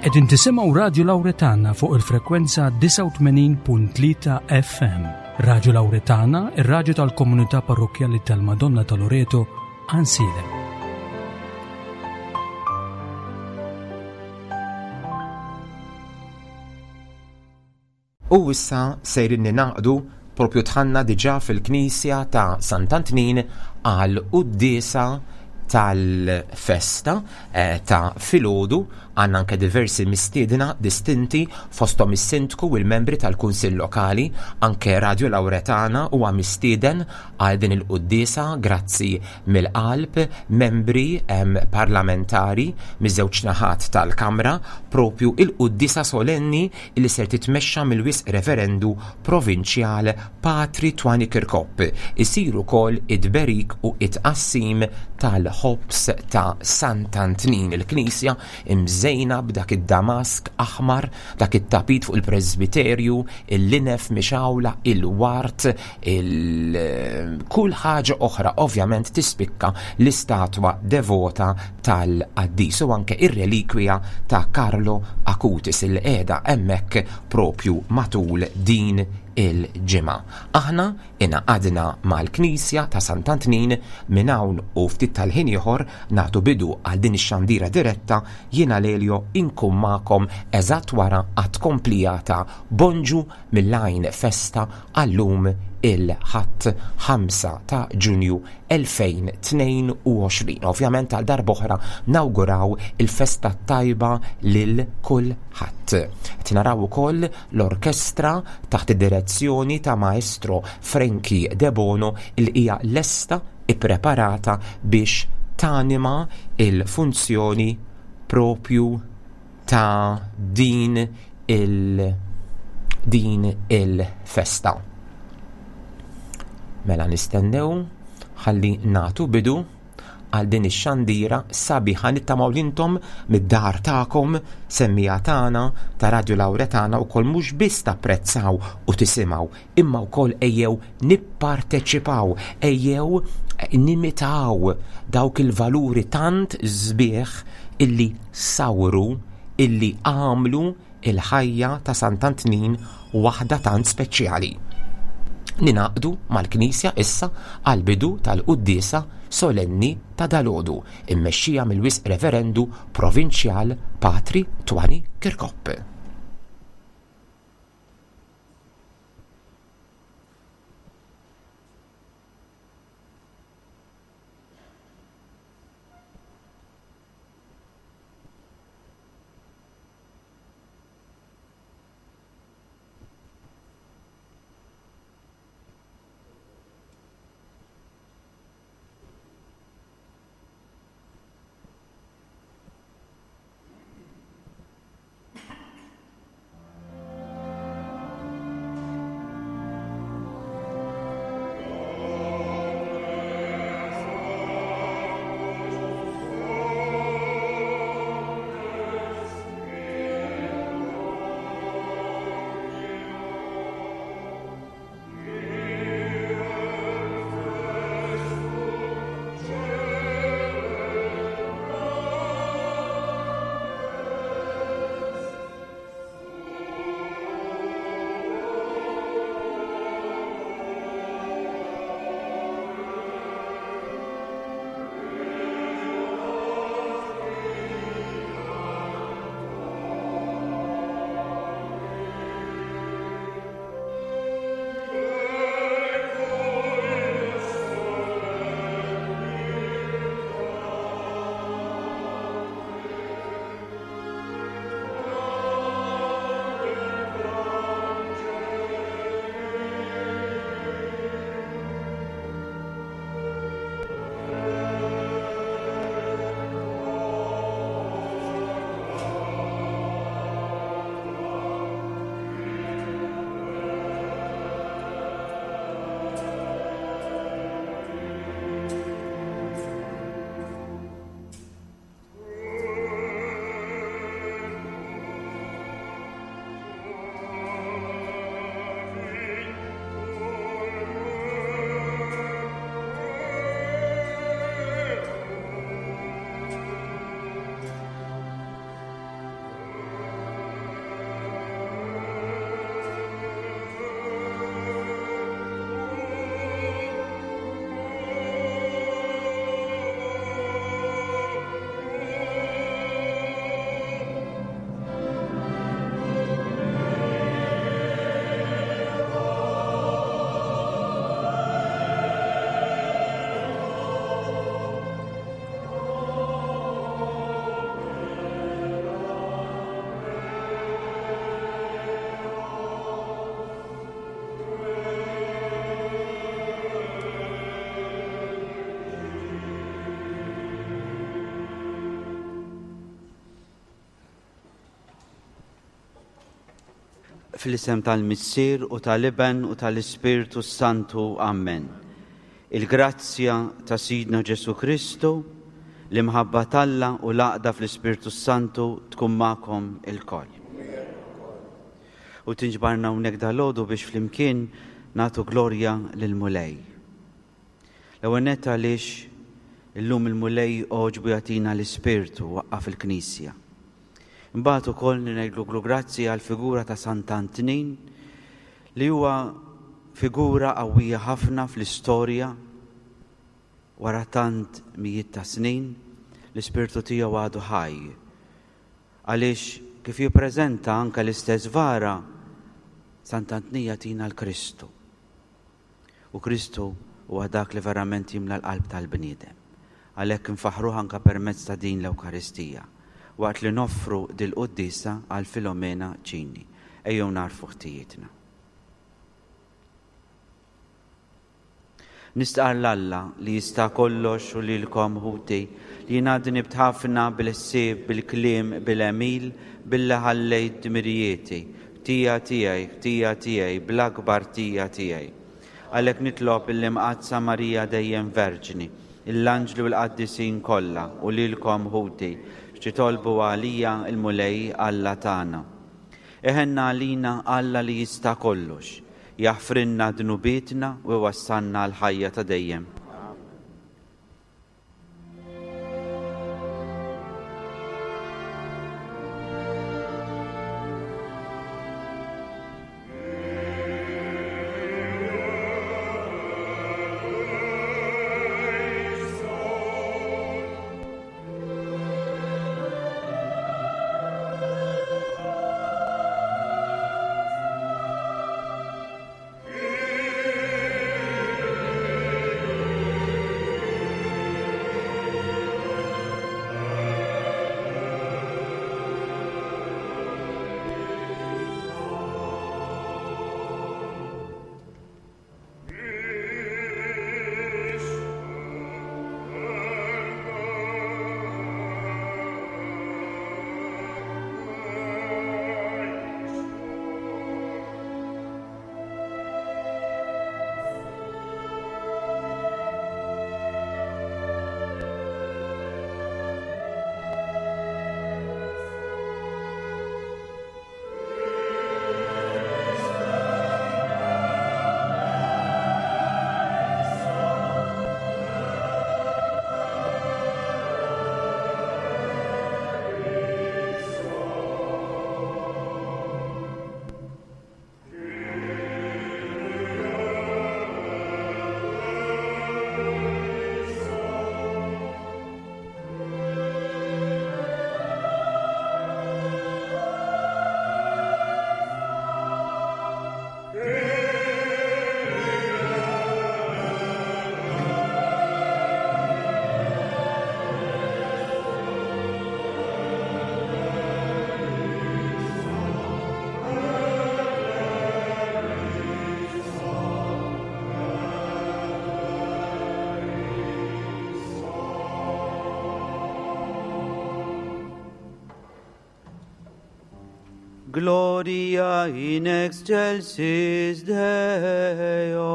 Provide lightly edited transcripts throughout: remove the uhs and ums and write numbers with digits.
Qegħdin tisimgħu Radju Lawretana fuq il-frekwenza 89.3 FM. Radju Lawretana, ir-radju tal-komunità parrokkjali tal-Madonna ta' Loreto, Ansilem. U issa sejrin ningħaqdu propju dħalna diġà fil-knisja ta' Sant'Antnin għal quddiesa tal-festa eh, ta' filgħodu għandna anke diversi mistiedna distinti fosthom is-sindku u l-membri tal-Kunsill Lokali, anke Radio Lauretana huwa mistieden għal din il-quddiesa grazzi mill-qalb membri parlamentari miż-żewġ naħat tal-Kamra propju il-quddiesa solenni li ser titmexxa mill-Wisq Reverendu Provinċjal Patri Twani Kirkop. Isir ukoll it-tberik u t-tqassim tal-ħobż ta' Sant'Antnin, il-knisja mżejna b'dak id-damask aħmar, dak it-tapit fuq il-presbiterju, il-linef mixgħula, il-ward, il kull ħaġa oħra ovvjament tispikka l-istatwa devota tal-qaddis u anke ir-relikwija ta' Carlo Acutis il qiegħda hemmhekk propju matul din il-ġimgħa. Aħna ingħaqadna mal-Knisja ta' Sant'Antnin minn hawn u ftit tal-ħin ieħor nagħtu bidu għal din ix-xandira diretta jiena Lelio inkun magħkom eżatt wara għat-tkomplija ta' Bonġu mill-Għajn Festa għal-lum il-Ħadd 5 ta' Ġunju 2022. Ovvjament għal darb'oħra nawguraw il-festa t-tajba lil kulħadd. Qed naraw ukoll l-orkestra taħt id-direzzjoni ta' Maestro Frankie Debono li hija lesta ippreparata biex tanima il-funzjoni propju ta' din il din il-festa. Mela nistennew ħalli nagħtu bidu għal din ix-xandira sabiħa nittamaw li intom mid-dar tagħkom semmija tagħna ta' Radio Lauretana wkoll mhux biss tapprezzaw u tisimgħu imma wkoll ejjew nipparteċipaw, ejjew nimitaw dawk il-valuri tant sbieħ illi sawru, illi għamlu il-ħajja ta' Sant'Antnin waħda tant speċjali. Ninaqdu mal-Knisja issa għall-bidu tal-quddiesa solenni ta' dalgħodu, immexxija mill-Wisq Reverendu Provinċjal Patri Twani Kirkop. Fl-isem tal-Missier u tal-Iben u tal-Ispirtu s-Santu. Amen. Il-grazzja ta' Sidna Ġesù Kristu, l-imħabba t'Alla u l-għaqda fl-Ispirtu s-Santu tkun magħkom ilkoll. U tinġbarna hawnhekk dalgħodu biex flimkien nagħtu glorja lill-Mulej. L-ewwel nett għaliex illum il-Mulej għoġbu jagħtina l-Ispirtu waqqaf il-Knisja. Imbagħad ukoll ngħidlu grazzi għall-figura ta' Sant'Antnin li huwa figura qawwija ħafna fl-istorja wara tant mijiet ta' snin, l-ispirtu tiegħu għadu ħaj. Għaliex kif jippreżenta anke l-istess vara, Sant'Antnin jagħtina l-Kristu. U Kristu huwa dak li verament jimla l-qalb tal-bniedem. Għalhekk infaħħruh anke permezz ta' din l-Ewkaristija, waqt li noffru dil-quddiesa għal Filomena Cini. Ejjew nagħrfu ħtijietna. Nistqarr 'l Alla li jista' kollox u lilkom, ħuti, li jiena dnibt ħafna bil-ħsieb, bil-kliem, bil-għemil, billi ħallejt dmirijieti. Ħtija tiegħi, ħtija tiegħi, bl-akbar ħtija tiegħi. Għalhekk nitlob lill-Imqaddsa Marija dejjem Verġni, lill-anġli u l-qaddisin kollha, u lilkom, ħuti, biex titolbu għalija l-Mulej Alla tagħna. Iħenna għalina Alla li jista' kollox, jaħfrilna dnubietna u jwassalna għall-ħajja ta' dejjem. Gloria in excelsis Deo.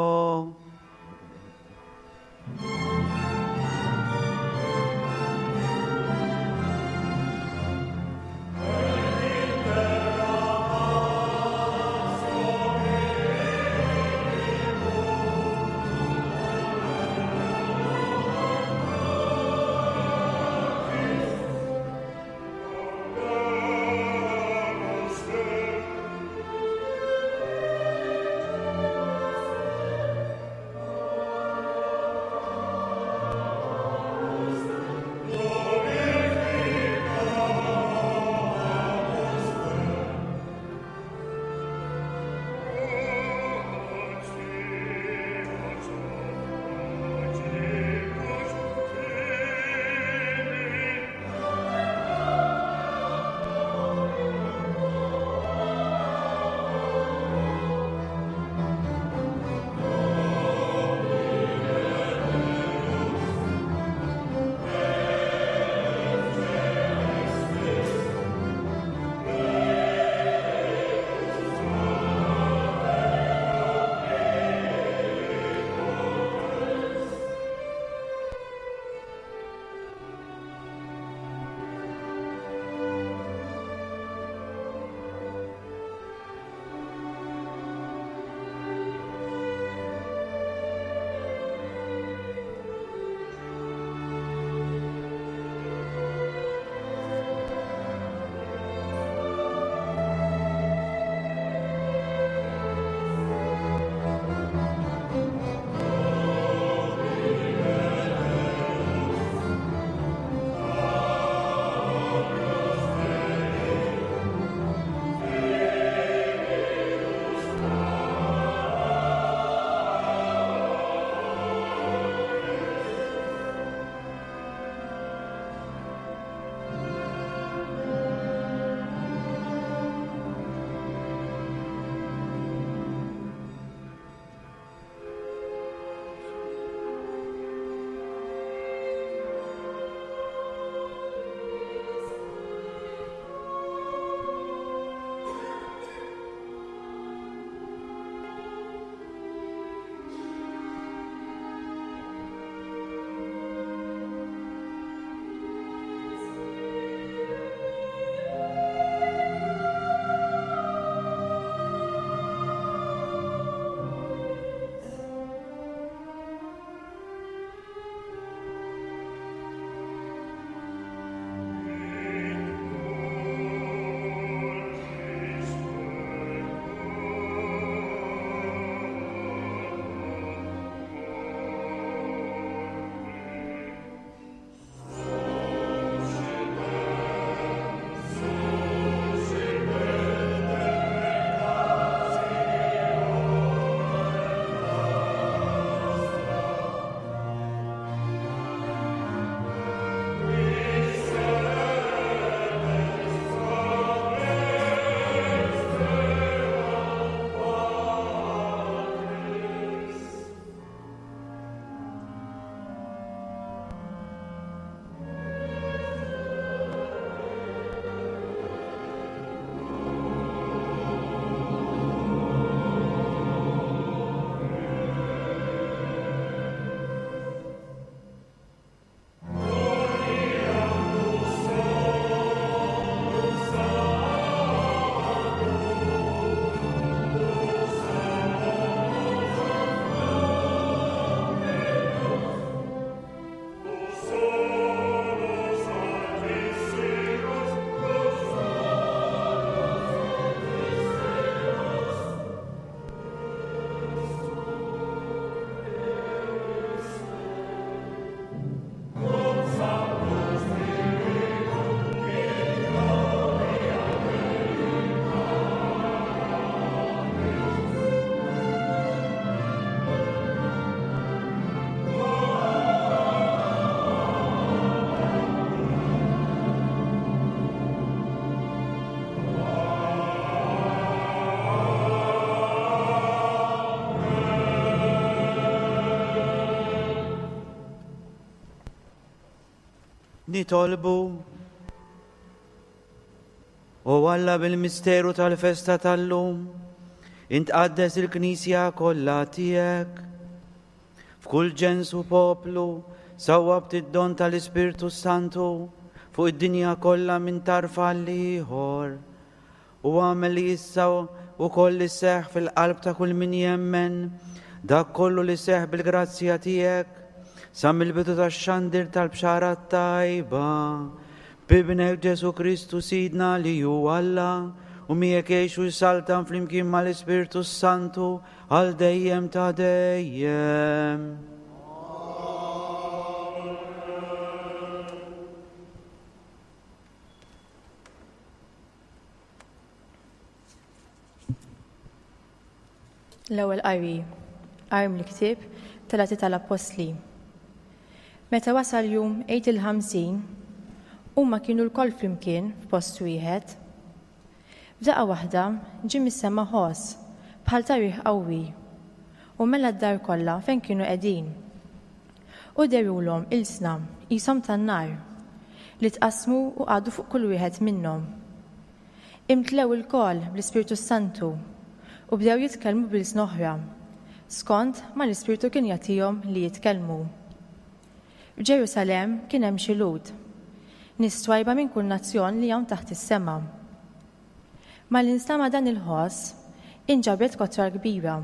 Nitolbu. O Alla bil-misteru tal-festa tal-lum, int qaddes il-Knisja kollha tiegħek. F'kull ġens u poplu sawwabt id-don tal-Ispirtu Santu fuq id-dinja kollha minn tarf għal ieħor. U agħmel li issa wkoll iseħħ fil-qalb ta' kull min jemmen dak kollu li seħħ bil-grazzja tiegħek sa mill-bidu tax-xandir tal-bxara t-tajba. B'Ibnek Ġesù Kristu Sidna li hu Alla u miegħek jgħix u jsaltan flimkien mal-Ispirtu s-Santu għal dejjem ta' dejjem. L-ewwel qari, Qari mill-ktieb tal-Atti tal-Appostli. Meta wasal jum Għid il-Ħamsin, huma kienu lkoll flimkien f'post wieħed. F'daqqa waħda ġie mis-sema ħoss bħal ta' riħ qawwi u mela d-dar kollha fejn kienu qegħdin. U dherulhom ilsna qishom tan-nar, li tqassmu u qagħdu fuq kull wieħed minnhom. Imtlew ilkoll bl-Ispirtu s-Santu u bdew jitkellmu b'ilsna oħra, skont ma l-Ispirtu kien jagħtihom li jitkellmu. F'Ġerusalemm kien hemm xi Lhud, nies twajba minn kull nazzjon li hawn taħt is-sema. Malli nstama' dan il-ħoss, inġabret kotra kbira,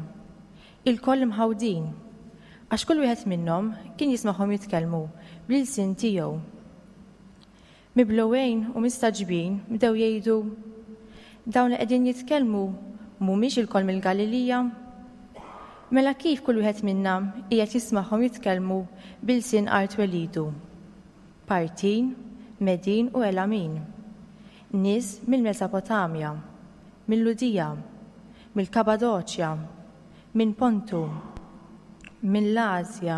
ilkoll imħawdin, għax kull wieħed minnhom kien jismagħhom jitkellmu bl-ilsien tiegħu. Miblugħin u mistagħġbin bdew jgħidu, Dawn li qegħdin jitkellmu mhumiex ilkoll mill-Galilija? Mela kif kull wieħed minna qiegħed jismagħhom jitkellmu b'ilsien art twelidu? Partin, Medin u Elamin, nies mill-Mesopotamja, mil-Lhudija, mill-Kapadoċja, minn Pontu, mill-Asja,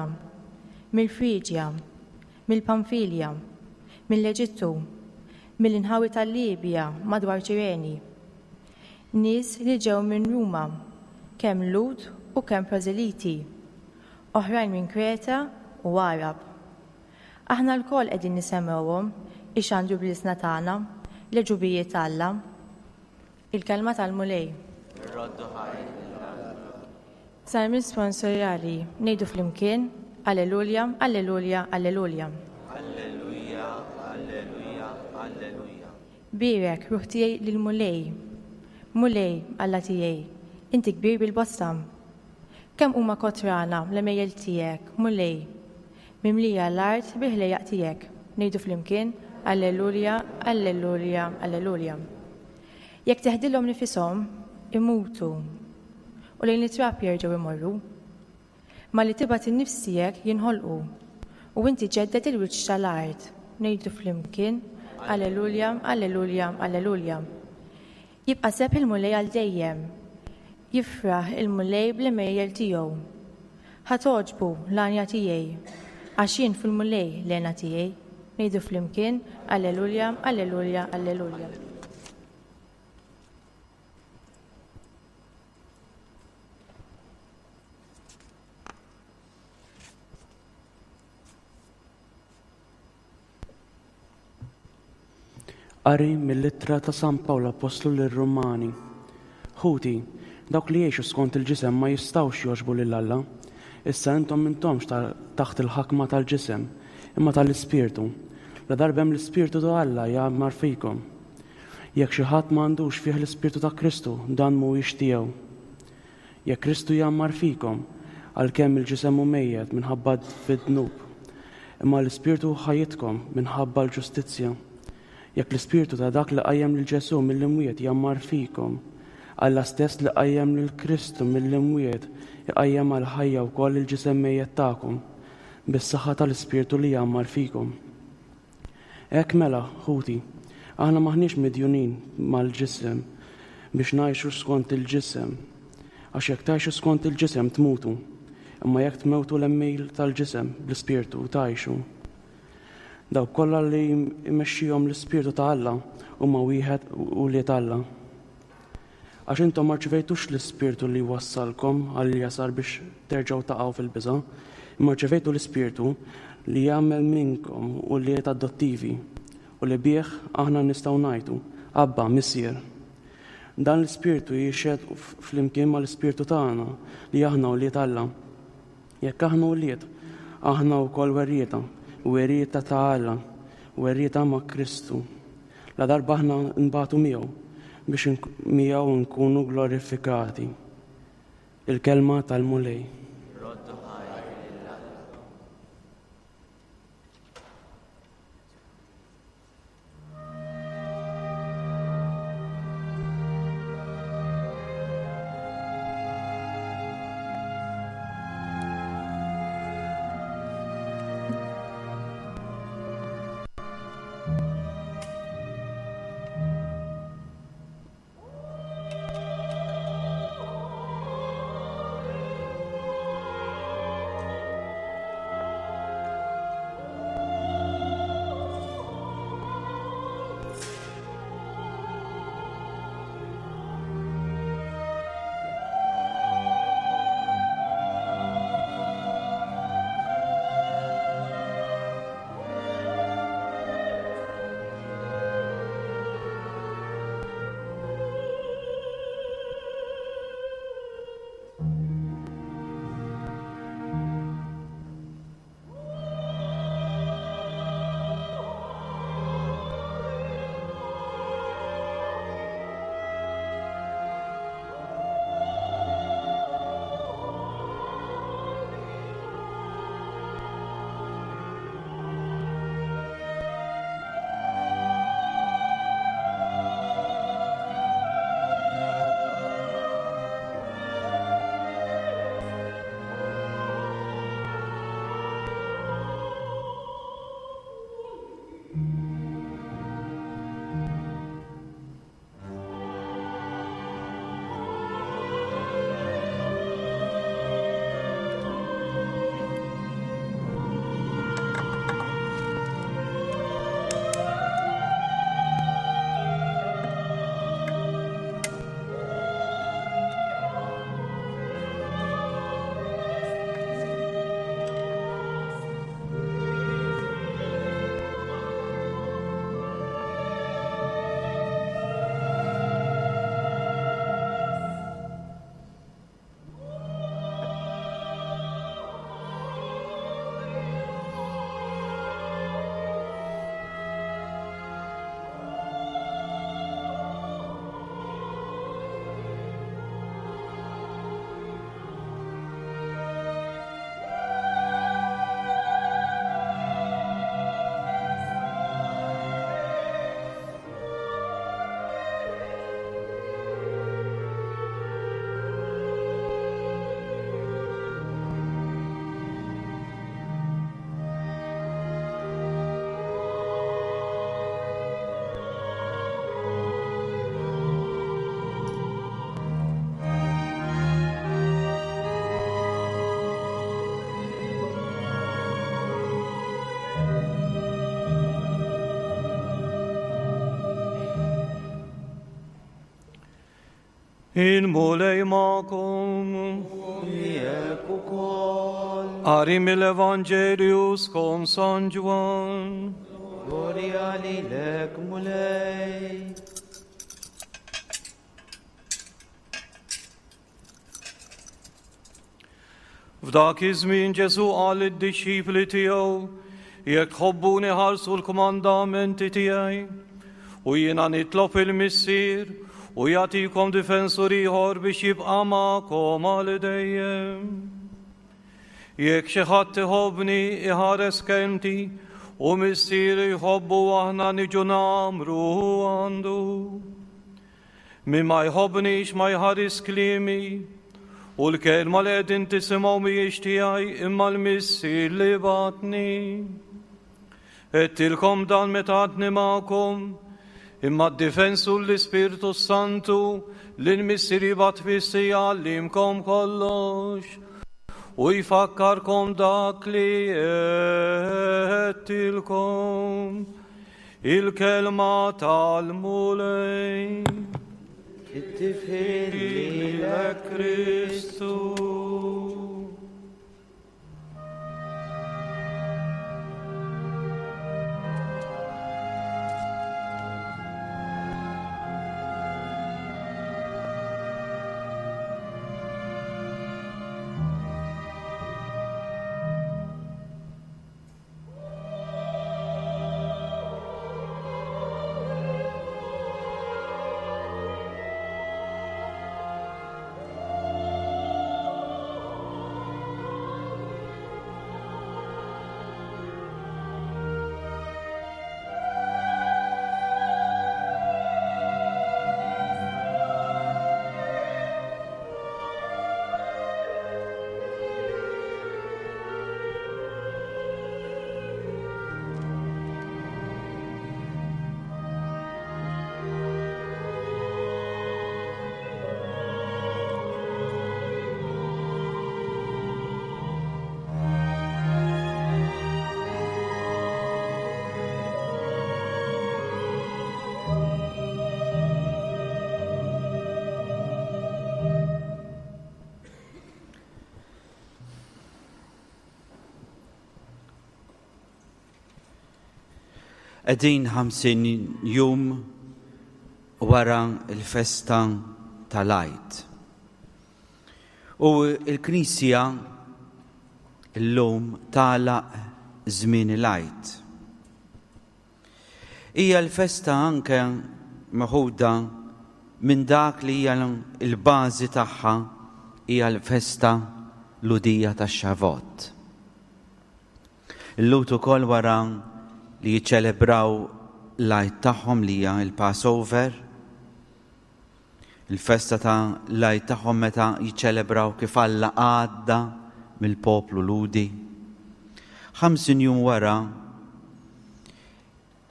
mill-Friġja, mill-Pamfilja, mill-Eġittu, mill-inħawi tal-Libja madwar Ċireni, nies li ġew minn Ruma, kemm Lhud u kemm prożeliti, oħrajn minn Kreta u Għarab. Aħna lkoll qegħdin nisemgħuhom ixandru bl-ilsna tagħna l-għeġubijiet ta' Alla. Il-Kelma tal-Mulej. Irroddu ħajr lil Alla. Salm risponsorjali, ngħidu flimkien, Alleluja, Alleluja, Alleluja. Alleluja, Alleluja, Alleluja. Bierek, ruħ tiegħi, lill-Mulej. Mulej, Alla tiegħi, inti kbir bil-bosta. Kemm huma kotrana l-għemejjel tiegħek, Mulej! Mimlija l-art bil-ħlejjaq tiegħek. Ngħidu flimkien, Alleluja, Alleluja, Alleluja. Jekk teħdilhom nifishom, imutu, u lejn it-trab jerġgħu jmorru. Malli tibgħat in-nifs tiegħek jinħolqu, u inti ġġedded il-wiċċ tal-art. Ngħidu flimkien, Alleluja, Alleluja, Alleluja. Jibqa' sebħ il-Mulej għal dejjem. Jifraħ il-Mulej bl-għemejjel tiegħu. Ħa togħġbu l-għanja tiegħi, għax jien fil-Mulej l-hena tiegħi. Ngħidu flimkien, Alleluja, Alleluja, Alleluja. Qari mill-Ittra ta' San Pawl Appostlu lir-Rumani. Ħuti, dawk li jgħixu skont il-ġisem ma jistgħux jogħġbu lil Alla. Issa intom m'intomx taħt il-ħakma tal-ġisem, imma tal-Ispirtu. Ladarba hemm l-Ispirtu ta' Alla jgħammar fikom. Jekk xi ħadd ma għandux fih l-Ispirtu ta' Kristu, dan mhuwiex tiegħu. Jekk Kristu jgħammar fikom, għalkemm il-ġisem hu mejjet minħabba fid-dnub, imma l-ispirtu hu ħajjitkom minħabba l-ġustizzja. Jekk l-ispirtu ta' dak li qajjem lil Ġesù mill-imwiet jgħammar fikom, Alla stess li qajjem lil Kristu mill-imwiet iqajjem għall-ħajja wkoll il-ġisem mejjet tagħkom, bis-saħħa tal-ispirtu li jgħammar fikom. Hekk mela, ħuti, aħna m'aħniex midjunin mal-ġisem biex ngħixu skont il-ġisem. Għax jekk tgħixu skont il-ġisem tmutu, imma jekk tmewtu l-għemil tal-ġisem bl-ispirtu tgħixu. Dawk kollha li jmexxihom l-ispirtu ta' Alla huma wieħed ulied Alla. Għax intom ma rċivejtux l-ispirtu li jwassalkom għall-jasar biex terġgħu taqgħu fil-biża', imma rċevejtu l-ispirtu. li jagħmel minnkom ulied adottivi u li bih aħna nistgħu ngħidu, Abba, Missier. Dan l-Ispirtu jixhed flimkien mal-Ispirtu tagħna li aħna ulied Alla. Jekk aħna ulied, aħna wkoll werrieta, werrieta ta' Alla, werrieta ma' Kristu. Ladarba aħna nbatu miegħu biex miegħu nkunu glorifikati. Il-kelma tal-Mulej. Il-Mulej magħkom. Miegħek ukoll. Qari mill-Evanġelju skont San Ġwann. Glorja lilek Mulej. F'dak iż-żmien Ġesù qal lid-dixxipli tiegħu, Jekk tħobbuni ħarsu l-kmandamenti tiegħi, u jiena nitlob il-Missier u jagħtikom difensur ieħor biex jibqa' magħkom għal dejjem. Jekk xi ħadd iħobbni iħares kelmti u Missieri jħobbu aħna niġu nagħmru għandu. Min ma jħobbnix ma jħaris kliemi, u l-kelma li qegħdin tisimgħu mhijiex tiegħi imma l-Missier li bagħatni. Għedtilkom dan meta għadni magħkom, imma d-difensur l-Ispirtu s-Santu li l-Missier jibgħat fissi jgħallimkom kollox u jfakkarkom dak li għedtilkom. Il-kelma tal-Mulej. It-tifħir lilek Kristu. Qegħdin 50 jum wara l-festa tal-Għid. U l-Knisja llum tagħlaq żmien il-Għid. Hija l-festa anke meħuda minn dak li hija l-bażi tagħha hija l-festa Lhudija tax-Xavot. Il-Lhud ukoll wara li jiċċelebraw l-Għid tagħhom li hija l-Passover, il-festa ta' l-Għid tagħhom meta jiċċelebraw kif Alla għadda mill-poplu Lhudi. 50 jum wara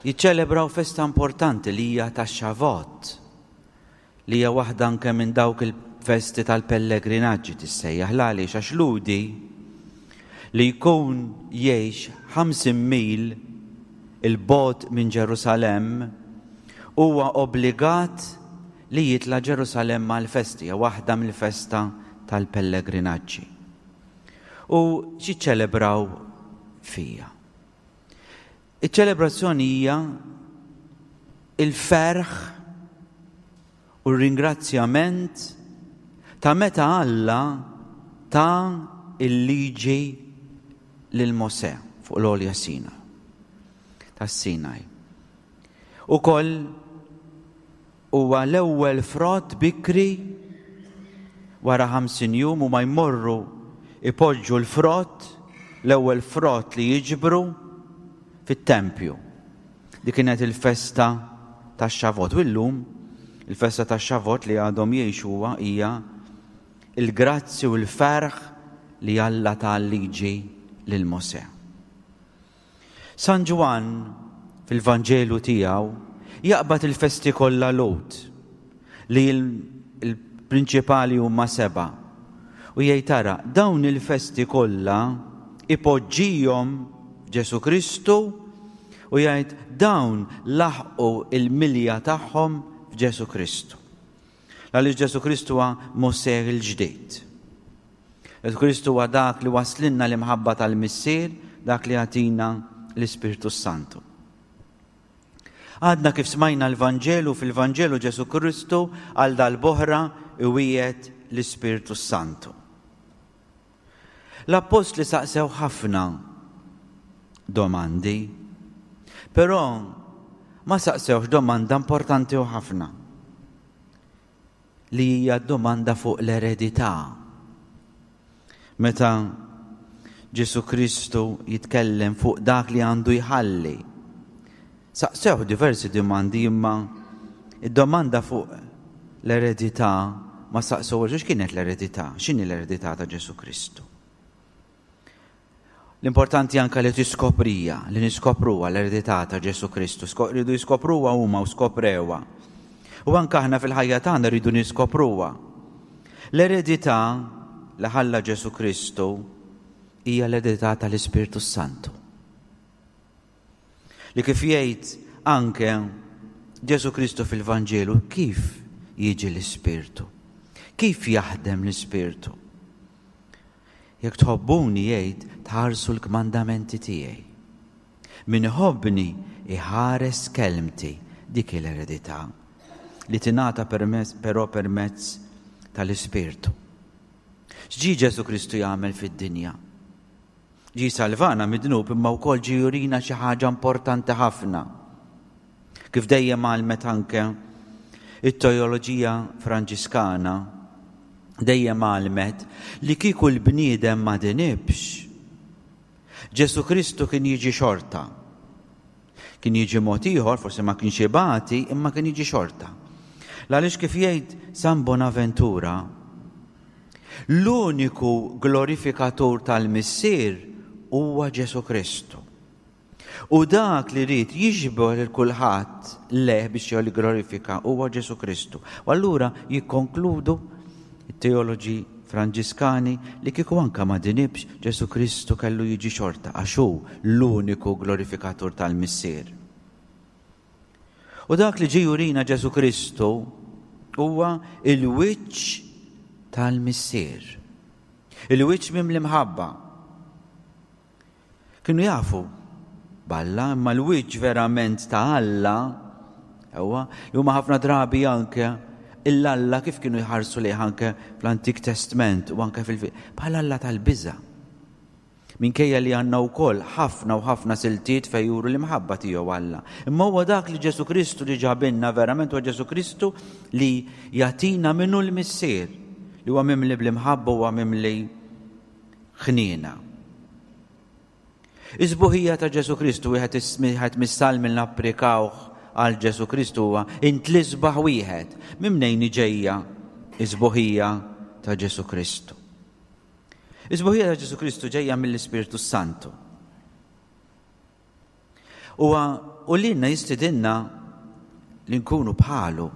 Jiċċelebraw festa importanti li hija tax-Xavot, li hija waħda anke minn dawk il-festi tal-pellegrinaġġi tissejjaħ. L-għaliex? Għax Lhudi li jkun jgħix 50 mil 'il bogħod minn Ġerusalemm huwa obbligat li jitla' Ġerusalemm għall-festi, hija waħda mill-festa tal-pellegrinaġġi. U x'jiċċelebraw fija? Iċ-ċelebrazzjoni hija il-ferħ u r-ringrazzjament ta' meta Alla ta l-liġi lil Mosè fuq l-għolja Sina tas-Sinaj. Ukoll Huwa l-ewwel frott bikri wara 50 jum huma jmorru jpoġġu l-frott, l-ewwel frott li jiġbru fit-tempju. Dik kienet il-festa tax-Xavot. U llum il-festa tax-Xavot li għadhom jgħixuha hija il-grazzi u l-ferħ li Alla ta l-liġi lil Mosè. San Ġwann, fil-Vanġelu tiegħu, jaqbad il-festi kollha Lhud, li l-prinċipali huma sebgħa, u jgħid ara, dawn il-festi kollha ipoġġihom f'Ġesù Kristu u jgħid dawn laħqu l-milja tagħhom f'Ġesù Kristu. Għaliex Ġesù Kristu huwa Mosè l-ġdid. Ġesù Kristu huwa dak li waslinna l-imħabba tal-Missier, dak li jagħtina l-Ispirtu Santu. Għadna kif smajna l-Vanġelu, fil-Vanġelu Ġesù Kristu għal dal-boħra iwiegħed l-Ispirtu Santu. L-appostli saqsew ħafna domandi, però ma saqsewx domanda importanti u ħafna li hija domanda fuq l-eredità. Meta Ġesu Kristu jitkellem fuq dak li għandu jħalli. Saqsew diversi domandi imma id-domanda fuq l-eredità ma saqsewhiex x'kienet l-eredità, x'inhi l-eredità ta' Ġesu Kristu. L-importanti anka li tiskoprija, li niskopruha l-eredità ta' Ġesu Kristu. Rridu jiskopruha huma u skoprewha. U anka aħna fil-ħajja tagħna rridu niskopruha. L-eredità li ħalla Ġesu Kristu hija l-eredità tal-Ispirtu Santu. Li kif jgħid anke Ġesu Kristu fil-Vanġelu, kif jiġi l-Ispirtu? Kif jaħdem l-Ispirtu? Jekk tħobbuni jgħid tħarsu l-kmandamenti tiegħi. Min iħobbni iħares kelmti dik l-eredità li tingħata però permezz tal-Ispirtu. X'ġie Ġesu Kristu jagħmel fid-dinja? Ġie jsalvana mid-dnub imma wkoll ġie jurina xi ħaġa importanti ħafna. Kif dejjem għallmet anke it-teoloġija Franġiskana, dejjem għallmet li kieku l-bniedem ma dinibx, Ġesu Kristu kien jiġi xorta. Kien jiġi mod ieħor, forsi ma kienx ibati, imma kien jiġi xorta. L-għaliex kif jgħid San Bonaventura, l-uniku glorifikatur tal-Missier huwa Ġesu Kristu. U dak li ried jiġbor lil kulħadd lejh biex jigglorifika huwa Ġesu Kristu. U allura jikkonkludu t-teoloġi Franġiskani li kieku anke ma dinibx, Ġesù Kristu kellu jiġi xorta għax hu l-uniku glorifikatur tal-Missier. U dak li ġie jurina Ġesù Kristu huwa il-wiċċ tal-Missier. Il-wiċċ mimli mħabba. Kienu jafu. b'Alla, imma l-wiċċ verament ta' Alla, ewwa, li huma ħafna drabi anke l-Alla kif kienu jħarsu lejh anke fl-Antik Testment u anke fil bħala Alla tal-biża'. Minkejja li għandna wkoll ħafna u ħafna siltiet fejn juru l-imħabba tiegħu Alla. Imma huwa dak li Ġesù Kristu li ġabilna verament huwa Ġesù Kristu li jagħtina minnu l-Missier li huwa mimli bl-imħabba huwa mimli ħniena. Is-sbuħija ta' Ġesù Kristu wieħed wieħed mis-salmi li napplikawh għal Ġesù Kristu huwa int l-isbaħ wieħed. Minn mnejn ġejja is-sbuħija ta' Ġesù Kristu? Is-sbuħija ta' Ġesù Kristu ġejja mill-Ispirtu Santu. Huwa u lilna jistidinna li nkunu bħalu.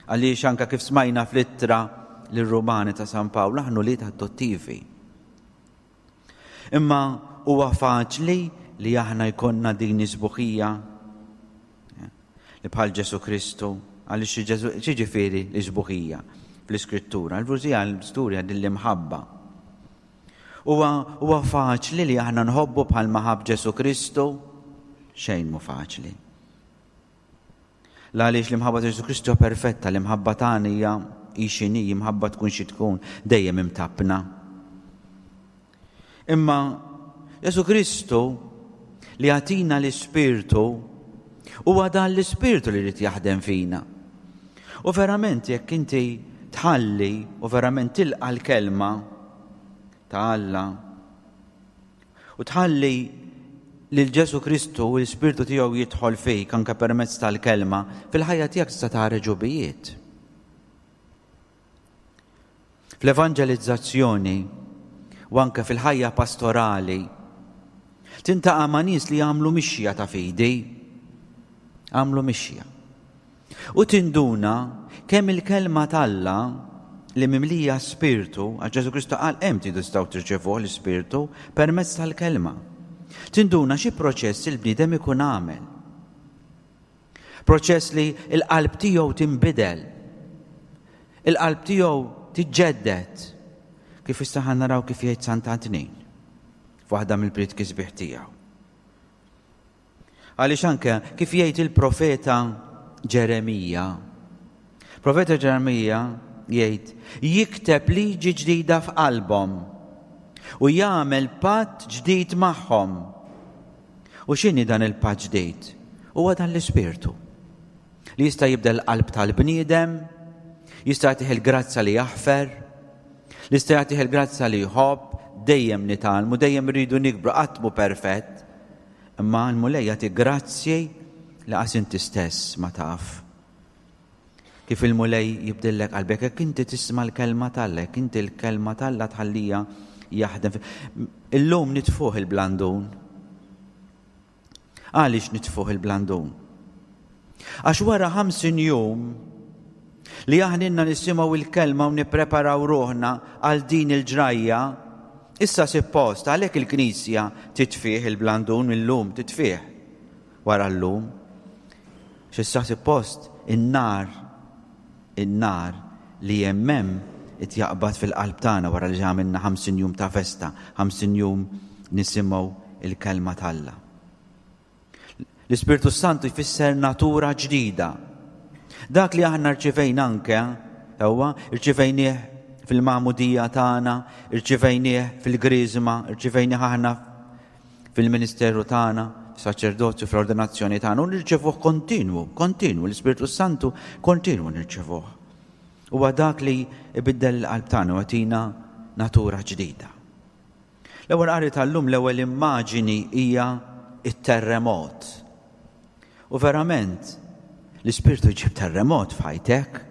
Għaliex anka kif smajna fl-ittra lir-Rumani ta' San Pawl aħna wlied adottivi. Imma huwa faċli li aħna jkollna din is-sbuħija li bħal Ġesù Kristu, għaliex x'jiġifieri l-isbuħija fl-Iskrittura? L-Vrużija l-istorja din l-imħabba. Huwa huwa faċli li aħna nħobbu bħalma ħabb Ġesù Kristu? Xejn mhu faċli. L-għaliex l-imħabba ta' Ġesù Kristu perfetta, l-imħabba tagħna hija hi x'inhi, imħabba tkun xi tkun, dejjem imtappna. Imma Ġesù Kristu li jagħtina l-Ispirtu huwa dan l-Ispirtu li jrid jaħdem fina. U verament jekk inti tħalli u verament tilqa' l-kelma ta' Alla u tħalli lil Ġesù Kristu u l-Ispirtu tiegħu jidħol fik anke permezz tal-kelma, fil-ħajja tiegħek tista' tara ġubijiet. Fl-evanġelizzazzjoni u anke fil-ħajja pastorali tintaqa' ma' nies li għamlu mixja ta' fidi. Għamlu mixja. U tinduna kemm il-kelma t'Alla li mimlija spirtu, għax Ġesù Kristu qal hemm tridu tistgħu tirċevuh l-ispirtu permezz tal-kelma. Tinduna xi proċess il-bniedem ikun għamel. Proċess li l-qalb tiegħu tinbidel. Il-qalb tiegħu tiġġedded. Kif issa ħa naraw kif jgħid Sant'Antnin f'waħda mill-prietki sbieħ tiegħu. Għaliex anke kif jgħid il-profeta Ġeremija. Profeta Ġeremija jgħid jikteb liġi ġdida f'qalbhom u jagħmel patt ġdid magħhom U x'inhi dan il-patt ġdid? Huwa dan l-Ispirtu li jista' jibdel l-qalb tal-bniedem, jista' jagħtih il-grazzja li jaħfer, li jista' jagħtih il-grazzja li jħobb, dejjem nitgħallmu, dejjem irridu nikbru, qatt mhu perfett. Imma l-Mulej jagħti grazzji li qas inti stess ma taf. Kif il-Mulej jibdillek qalbek, jekk inti tisma' l-kelma t'Alla, jekk inti l-kelma t'Alla tħallija jaħdem. Illum nitfuh il-blandun. Għaliex nitfuh il-blandun? Għax wara 50 jum li aħna nisimgħu il-kelma u nippreparaw ruħna għal din il-ġrajja, issa suppost għalhekk il-Knisja titfih il-blandun illum titfih wara llum. X'issa suppost in-nar, in-nar li hemm hemm qed jaqbad fil-qalb tagħna wara li għamilna 50 jum ta' festa, 50 jum nisimgħu il-kelma t'Alla. L-Ispirtu Santu jfisser natura ġdida. Dak li aħna rċivejna anke, ewwa, rċivejnieh fil-magħmudija tagħna, rċivejnieh fil-griżma, rċivejnieh aħna fil-ministeru tagħna, fis-saċerdozju, fl-ordinazzjoni tagħna, u nirċevuh kontinwu, kontinwu, l-Ispirtu Santu kontinwu nirċevuh. Huwa dak li ibiddel il-qalb tagħna u jagħtina natura ġdida. L-ewwel qari tal-lum l-ewwel immaġini hija it-terremot. U verament, l-Ispirtu jġib terremot f'ħajtek.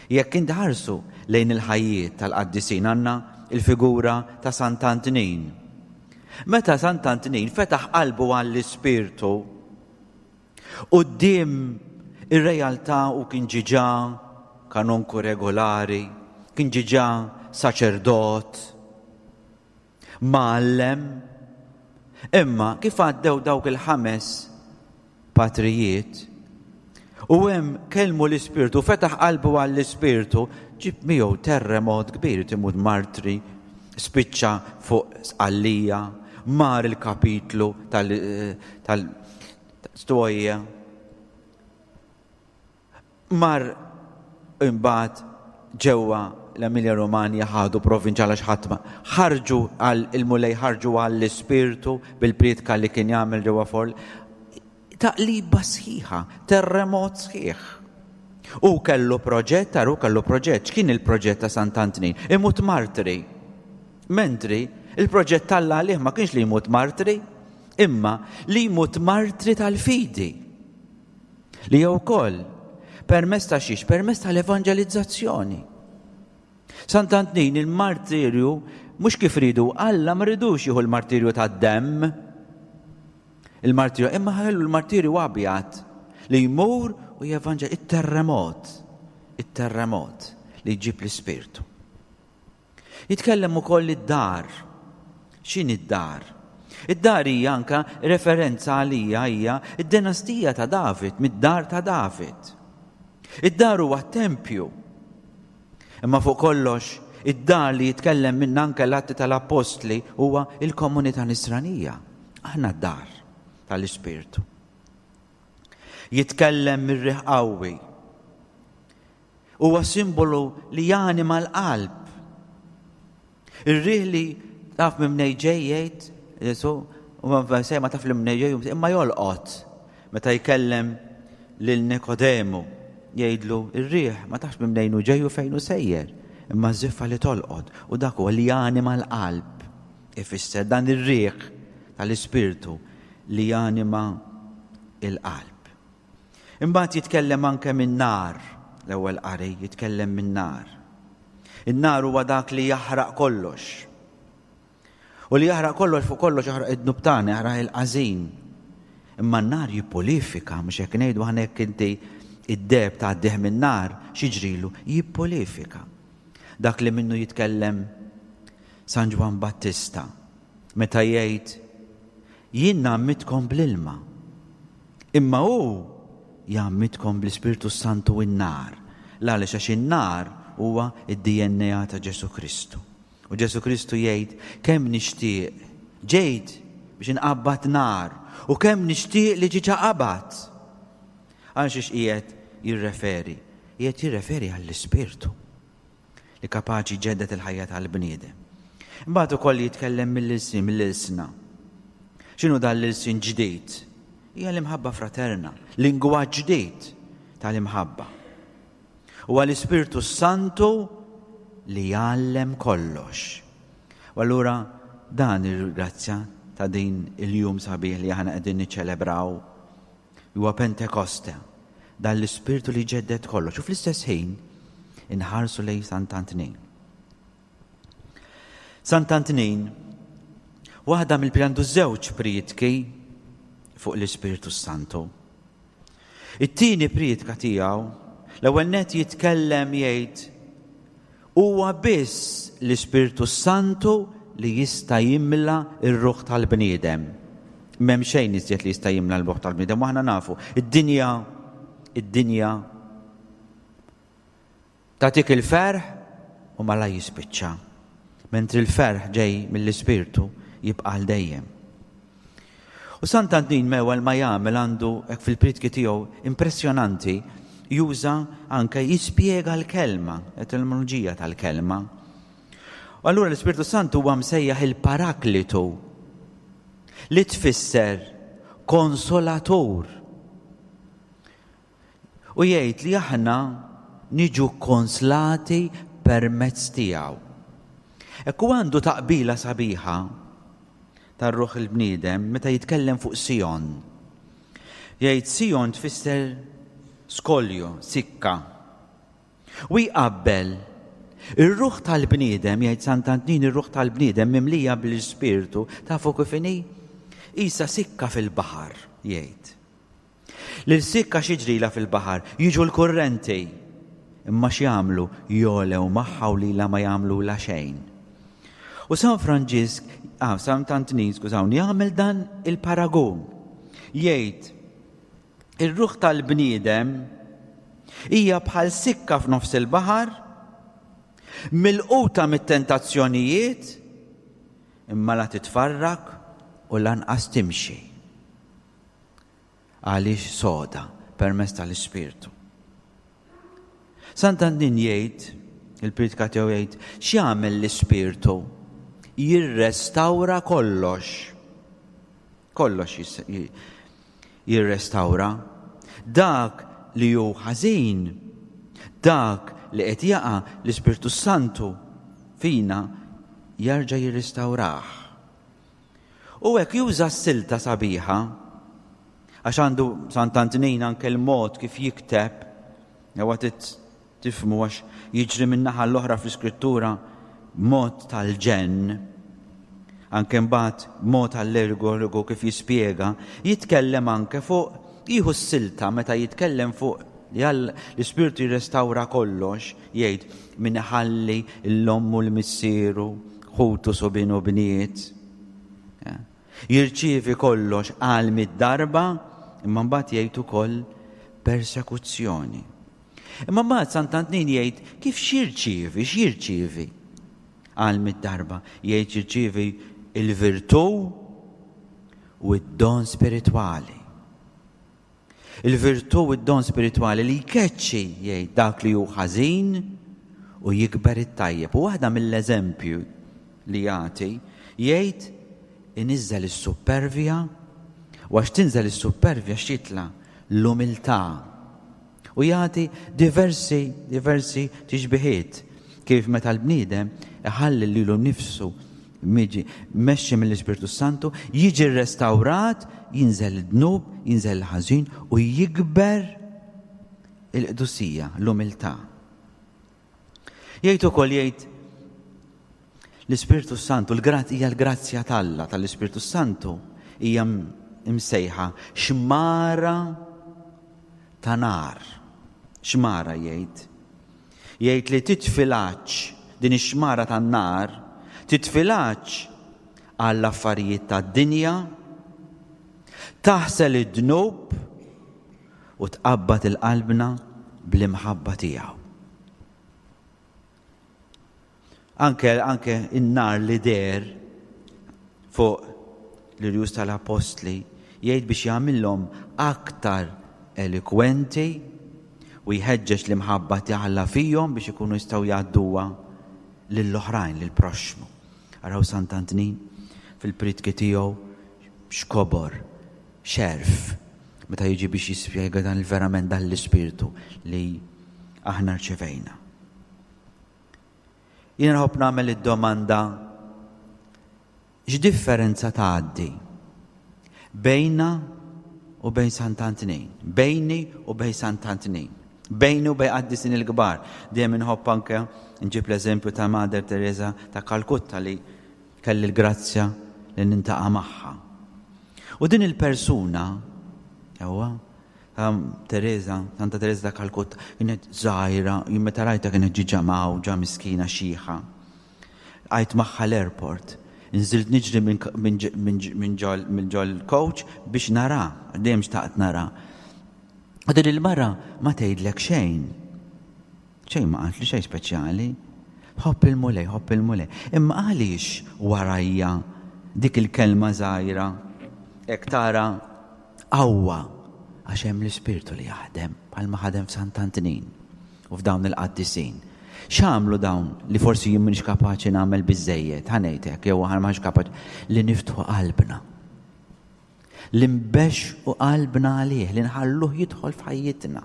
Jekk inti ħarsu lejn il-ħajjiet tal-qaddisin għandna il-figura ta' Sant'Antnin. Meta Sant'Antnin fetaħ qalbu għall-Ispirtu, quddiem ir-realtà u kien ġiġa kanonku regolari, kien ġiġa saċerdot, mgħallem. Imma kif għaddew dawk il-ħames patrijiet u hemm kellmu l-Ispirtu, fetaħ qalbu għall-Ispirtu, ġib miegħu terremot kbir, timut martri, spiċċa fuq sqallija, Mar il-kapitlu tal-Stoja. Mar imbagħad ġewwa l-Emilia Romagna ħadu provinċjal għax ħadd ma ħarġu għal il-Mulej ħarġu għall-ispirtu bil-prietka li kien jagħmel ġewwa Forli. Taqliba sħiħa, terremot sħiħ. U kellu proġett, taru kellu proġett, x'kien il-proġett ta' Sant'Antnin? Imut martri. Mentri, il-proġett t'Alla għalih ma kienx li jmut martri, imma li jmut martri tal-fidi. Li jew ukoll permezz ta' xiex? Permezz tal-evanġelizzazzjoni. Sant'Antnin il-martirju mhux kif ridu Alla ma ridux jieħu l-martirju tad-demm. Il-martirju imma ħallu l-martirju abjad li jmur u jevanġel it-terremot, it-terremot li jġib l-ispirtu. Jitkellem ukoll id-dar. X'inhi d-dar? Id-dar hija anka referenza għalija hija d-dinastija ta' David, mid-dar ta' David. Id-dar huwa t-tempju. Imma fuq kollox, id-dar li jitkellem minnha anke l-Atti tal-Appostli huwa il-komunità nisranija. Aħna d-dar tal-Ispirtu. Jitkellem mir-riħ qawwi. Huwa simbolu li janima l-qalb. Ir-riħ li taf minn mnej ġej jgħid Ġesu, u ma ma taf li mnej ġej imma jolqot meta jkellem lil Nikodemu jgħidlu ir-riħ ma tafx minn mnejn hu ġej u fejn hu sejjer, imma żiffa li tolqot u dak huwa li janima l-qalb. Ifisser dan ir-riħ tal-Ispirtu li janima il-qalb. Imbagħad jitkellem anke min-nar, l-ewwel qari jitkellem min-nar. In-nar huwa dak li jaħraq kollox. U li jaħraq kollox fuq kollox jaħraq id-dnub tagħna, jaħraq il-qażin. Imma n-nar jippulifika, mhux hekk ngħidu aħna jekk inti id-deheb tgħaddih min-nar, x'jiġrilu? Jippulifika. Dak li minnu jitkellem San Ġwann Battista meta jgħid jien ngħammidkom bl-ilma, Imma hu jgħammidkom bl-Ispirtu s-Santu u n-nar. L-għaliex? Għax in-nar huwa d-DNA ta' Ġesù Kristu. U Ġesù Kristu jgħid, kemm nixtieq, ġejt biex inqabbad nar, u kemm nixtieq li ġiġa qabad. Għal xiex qiegħed jirreferi? Qiegħed jirreferi għall-Ispirtu. li kapaċi jġedded il-ħajja tal-bniedem. Imbagħad ukoll jitkellem mill-ilsien, mill-ilsna. X'inhu dan l-ilsien ġdid? Hija l-imħabba fraterna, lingwaġġ ġdid tal-imħabba. Huwa l-Ispirtu Santu li jgħallem kollox. U allura dan il-grazzja ta' din il-jum sabiħ li aħna qegħdin niċċelebraw Huwa Pentekoste, dan l-Ispirtu li jġedded kollox u fl-istess ħin inħarsu lejn Sant'Antnin. Sant'Antnin, waħda mill-għandu żewġ prietki fuq l-Ispirtu Santu. It-tieni prietka tiegħu l-ewwel net jitkellem jgħid Huwa biss l-Ispirtu s-Santu li jista' jimla r-ruħ tal-bniedem. M'hemm xejn iżjed li jista' jimla l-ruħ tal-bniedem u aħna nafu, id-dinja, id-dinja tagħtik il-ferħ u malaj jispiċċa. Mentri l-ferħ ġej mill-Ispirtu jibqa' għal dejjem. U Sant'Antnin mewel ma jagħmel għandu hekk fil-prietki tiegħu impressjonanti juża anke jispjega l-kelma, etimoloġija tal-kelma. U allura l-Ispirtu Santu huwa msejjaħ il-Paraklitu li tfisser konsolatur. U jgħid li aħna niġu konslati permezz tiegħu. Hekk hu għandu taqbila sabiħa tar-ruħ il-bniedem meta jitkellem fuq Sion. Jgħid Sion tfisser skolju, sikka. U jqabbel ir-ruħ tal-bniedem, jgħid Sant'Antnin, ir-ruħ tal-bniedem mimlija bl-Ispirtu, tafu kif inhi? Isa sikka fil-baħar, jgħid. Lil sikka x'jiġrilha fil-baħar? Jiġu l-kurrenti. Imma x'jagħmlu? Jogħlew magħha u lilha ma jagħmlulha xejn. U San Franġisk, ah, San Antnin, skużawni, jagħmel dan il-paragun. Jgħid, ir-ruħ tal-bniedem hija bħal sikka f'nofs il-baħar, milquta mit-tentazzjonijiet, imma la titfarrak u lanqas timxi. Għaliex soda permezz tal-Ispirtu. Sant'Antin jgħid, il-priedka tiegħu jgħid, x'jagħmel l-Ispirtu? Jirrestawra kollox. Kollox jirrestawra. Dak li hu ħażin, dak li qed jaqa' l-Ispirtu Santu fina jarġa' jirrestawrah. U hekk juża s-silta sabiħa, għax għandu Sant'Antnin anke l-mod kif jikteb, jew tifhmu għax jiġri minn naħa l-oħra fl-Iskrittura b'mod tal-ġenn, anke mbagħad b'mod allegoriku kif jispjega, jitkellem anke fuq jieħu s-silta meta jitkellem fuq li l-Ispirtu jirrestawra kollox, jgħid min iħalli l-omm u l-missieru, ħutu subien u bniet. Jirċievi kollox għal mid-darba, imma mbagħad jgħid ukoll persekuzzjoni. Imma mbagħad Sant'Antnin jgħid kif x'jirċievi, x'jirċievi għal mid-darba. Jgħid jirċievi il-virtù u d-don spiritwali. Il-virtù u d-don spiritwali li jkeċċi jgħid dak li hu ħażin u jikber it-tajjeb. U waħda mill-eżempju li jagħti jgħid iniżżel is-suppervja u għax tinżel is-suppervja x'jitla' l-umiltà. U jagħti diversi diversi tixbihiet kif meta l-bniedem iħalli lilu nnifsu miġi mmexxi mill-Ispirtu Santu, jiġi rrestawrat, jinżel id-dnub, jinżel il-ħażin u jikber il-qdusija, l-umiltà. Jgħid ukoll jgħid l-Ispirtu Santu, l-grazz hija l-grazzja t'Alla tal-Ispirtu Santu hija msejħa xmara ta' nar. Xmara jgħid. Jgħid li titfi l-għatx din ix-xmara tan-nar, titfi l-għatx għall-affarijiet tad-dinja, taħsel id-dnub u tqabbad il-qalbna bl-imħabba tiegħu. Anke anke in-nar li deher fuq l-irjus tal-appostli jgħid biex jagħmilhom aktar elikwenti u jħeġġeġ l-imħabba ta' Alla fihom biex ikunu jistgħu jgħadduha lill-oħrajn, lill-proxxmu. Araw Sant'Antnin fil-prietki tiegħu x'kobor, x'għerf meta jiġi biex jispjega dan il-verament dan l-ispirtu li aħna rċevejna. Jiena nħobb nagħmel id-domanda x'differenza tgħaddi bejna u bejn Sant'Antnin, bejni u bejn Sant'Antnin, bejni u bejn qaddisin il-kbar. Dejjem inħobb anke nġib l-eżempju ta' Mader Teresa ta' Kalkutta li kelli l-grazzja li nintaqa' magħha. U din il-persuna, ewa, ta' Teresa, Santa Teresa ta' Kalkutta, kienet żgħira, jien meta rajtha kienet ġiġa mgħawġa, miskina xiħa. Għajt magħha l-airport. Nżilt niġri minn ġol coach biex nara, dejjem xtaqt nara. U din il-mara ma tgħidlek xejn. Xejn ma qaltli xejn speċjali. Ħobb il-Mulej, ħobb il-Mulej. Imma għaliex warajja dik il-kelma żgħira hekk tara qawwa għax hemm l-Ispirtu li jaħdem bħalma ħadem f'Sant'Antnin u f'dawn il-qaddisin. X'għamlu dawn li forsi jien m'iniex kapaċi nagħmel biżejjed, ħa ngħid hekk, jew aħna m'aħniex kapaċi li niftħu qalbna. Li nbexxqu qalbna għalih, li nħalluh jidħol f'ħajjitna.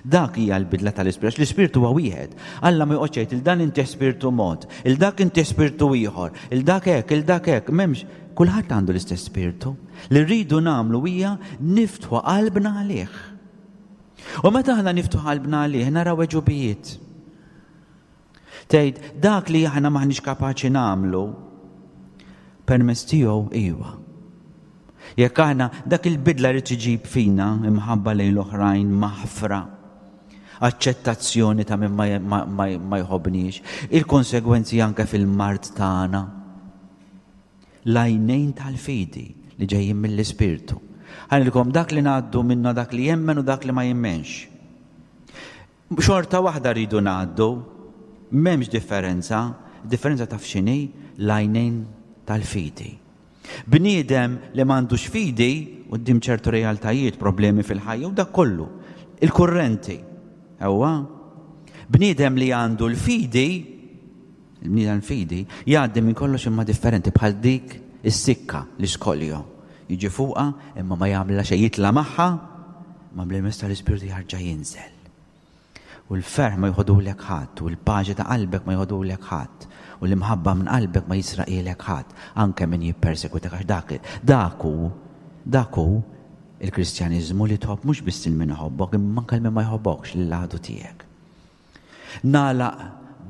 Dak hija l-bidla tal-Ispirtu, għax l-Ispirtu huwa wieħed. Alla ma joqgħodx jgħid il dan inti spirtu mod, il dak inti spirtu ieħor, il dak hekk, il dak hekk, m'hemmx kulħadd għandu l-istess spirtu. Li rridu nagħmlu hija niftħu qalbna għalih. U meta aħna niftħu qalbna għalih naraw għeġubijiet. Tgħid dak li aħna m'aħniex kapaċi nagħmlu permezz tiegħu iwa. Jekk aħna dak il-bidla li tiġib fina imħabba lejn l-oħrajn maħfra, aċċettazzjoni ta' min ma, ma, ma jħobbniex, il-konsegwenzi anke fil-mard tagħna. L-għajnejn tal-fidi li ġejjin mill-Ispirtu. Ħanilkom dak li ngħaddu minna dak li jemmen u dak li ma jemmenx. Xorta waħda rridu ngħaddu, m'hemmx differenza, differenza taf x'inhi? L-għajnejn tal-fidi. Bniedem li m'għandux fidi quddiem ċertu realtajiet, problemi fil-ħajja u dak kollu, il-kurrenti. Ewwa. Bniedem li għandu l-fidi, il-bniedem fidi, jgħaddi minn kollox imma differenti bħal dik is-sikka l-iskoljo. Jiġi fuqha imma ma jagħmilha xejn jitla' magħha, ma bl-irmess tal-Ispirtu jarġa' jinżel. U l-ferħ ma joħodulek ħadd, u l-paċi ta' qalbek ma joħodulek ħadd, u l-imħabba minn qalbek ma jisraqhielek ħadd, anke min jippersegwitak għax dak dak hu dak hu il-Kristjaniżmu li tħobb mhux biss lil min iħobbok imma anke lil min ma jħobbokx lill-għadu tiegħek. Nagħlaq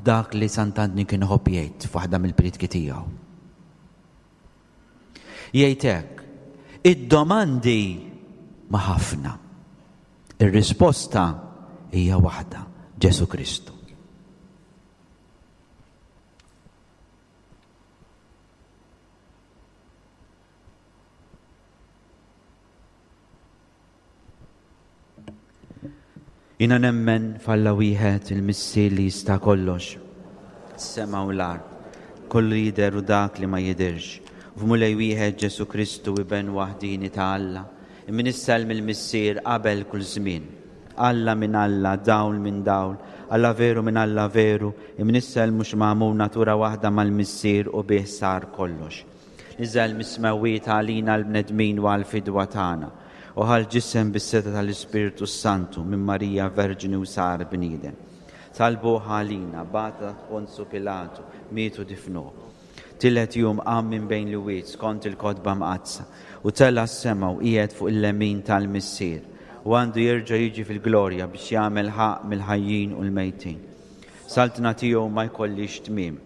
b'dak li Sant'Antni kien iħobb jgħid f'waħda mill-prietki tiegħu. Jgħid hekk, id-domandi ma ħafna. Ir-risposta hija waħda, Ġesù Kristu. Jiena nemmen f'Alla wieħed il-Missier li jista' kollox, is-sema u l-art, kollu jidher u dak li ma jidhirx, u f'Mulej wieħed Ġesù Kristu Iben waħdieni ta' Alla, imnissel mill-Missier qabel kull żmien. Alla minn Alla, dawl minn dawl, Alla veru minn Alla veru, imnissel mhux magħmul natura waħda mal-Missier u bih sar kollox. Niżel mis-smewwiet għalina l-bnedmin u għall-fidwa tagħna, u ħa l-ġisem bis-setgħa tal-Ispirtu s-Santu minn Marija Verġni u sar bniedem. Talbuh għalina, bagħat taħt Ponzu Pilatu, miet u difnuh. Tielet jum qam minn bejn l-iwiet skont il-Kotba Mqaddsa, u tela' s-sema u qiegħed fuq il-lemin tal-Missier, u għandu jerġa' jiġi fil-glorja biex jagħmel ħaqq mill-ħajjin u l-mejtin. Saltna tiegħu ma jkollhiex tmiem.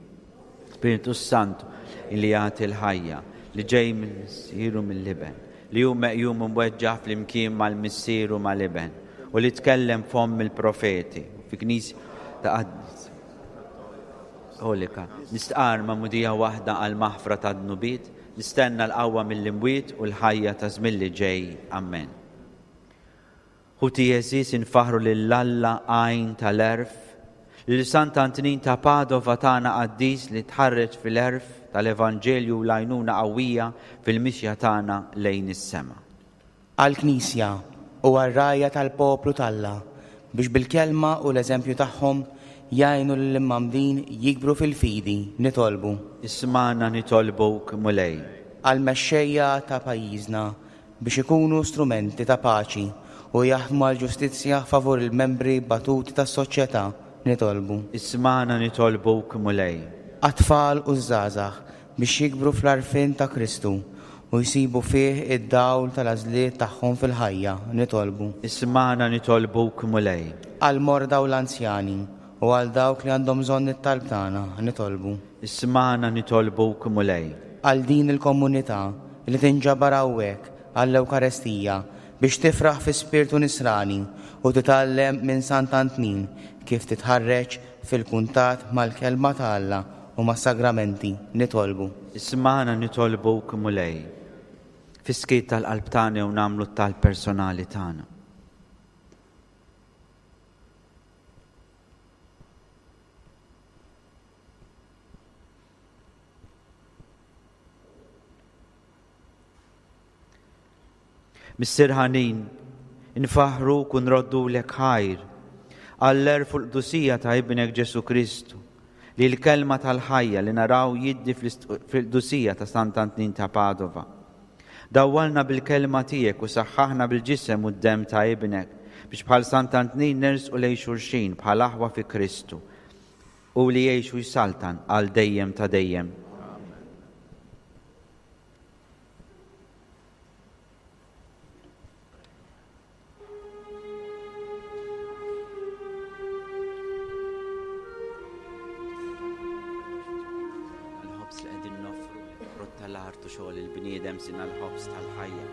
Spirtu s-Santu li jagħti l-ħajja, li ġej mill-Missier u mill-Iben, li hu meqjum u mweġġaħ flimkien mal-Missier u mal-Iben, u li tkellem f'fomm il-profeti, fi Knisja ta' Kattolika, nistqarr magħmudija waħda għall-maħfra tad-dnubiet, nistenna l-qawwa mill-imwiet u l-ħajja ta' żmien li ġej. Ammen. Ħuti għeżież infaħħru lil Alla għajn tal-għerf, lil Sant'Antnin ta' Padova tagħna qaddis li tħarreġ fil-għerf tal-Evanġelju u l-għajnuna qawwija fil-mixja tagħna lejn is-sema. Għall-Knisja u għar-rgħajja tal-poplu t'Alla biex bil-kelma u l-eżempju tagħhom jgħinu lill-imgħammdin jikbru fil-fidi, nitolbu. Ismagħna nitolbuk, Mulej. Għall-mexxejja ta' pajjiżna biex ikunu strumenti ta' paċi u jaħdmu għall-ġustizzja favur il-membri batuti tas-soċjetà, nitolbu. Ismagħna nitolbuk, Mulej. Għat-tfal u ż-żgħażagħ biex jikbru fl-għarfien ta' Kristu u jsibu fih id-dawl tal-għażliet tagħhom fil-ħajja, nitolbu. Ismagħna nitolbuk, Mulej. Għall-morda u l-anzjani u għal dawk li għandhom bżonn it-talb tagħna, nitolbu. Ismagħna nitolbuk, Mulej. Għal din il-komunità li tinġabar hawnhekk għall-Ewkarestija biex tifraħ fi spirtu nisrani u titgħallem minn Sant'Antnin kif titħarreġ fil-kuntatt mal-Kelma ta' Alla u mas-Sagramenti, nitolbu. Ismagħna nitolbuk, Mulej. Fis-skiet tal-qalb tagħna jew nagħmlu t-talb personali tagħna. Missier ħanin, infaħħruk u nroddulek ħajr għall-għerf u l-qdusija ta' Ibnek Ġesù Kristu, li l-kelma tal-ħajja li naraw jiddi fil-qdusija ta' Sant'Antnin ta' Padova. Dawwalna bil-kelma tiegħek u saħħaħna bil-ġisem u d-demm ta' Ibnek, biex bħal Sant'Antnin nersqu lejn xulxin bħal aħwa fi Kristu, hu li jgħix u jsaltan għal dejjem ta' dejjem. Il-ħobż li qegħdin noffru, frott tal-art u xogħol il-bniedem sina l-ħobż tal-ħajja.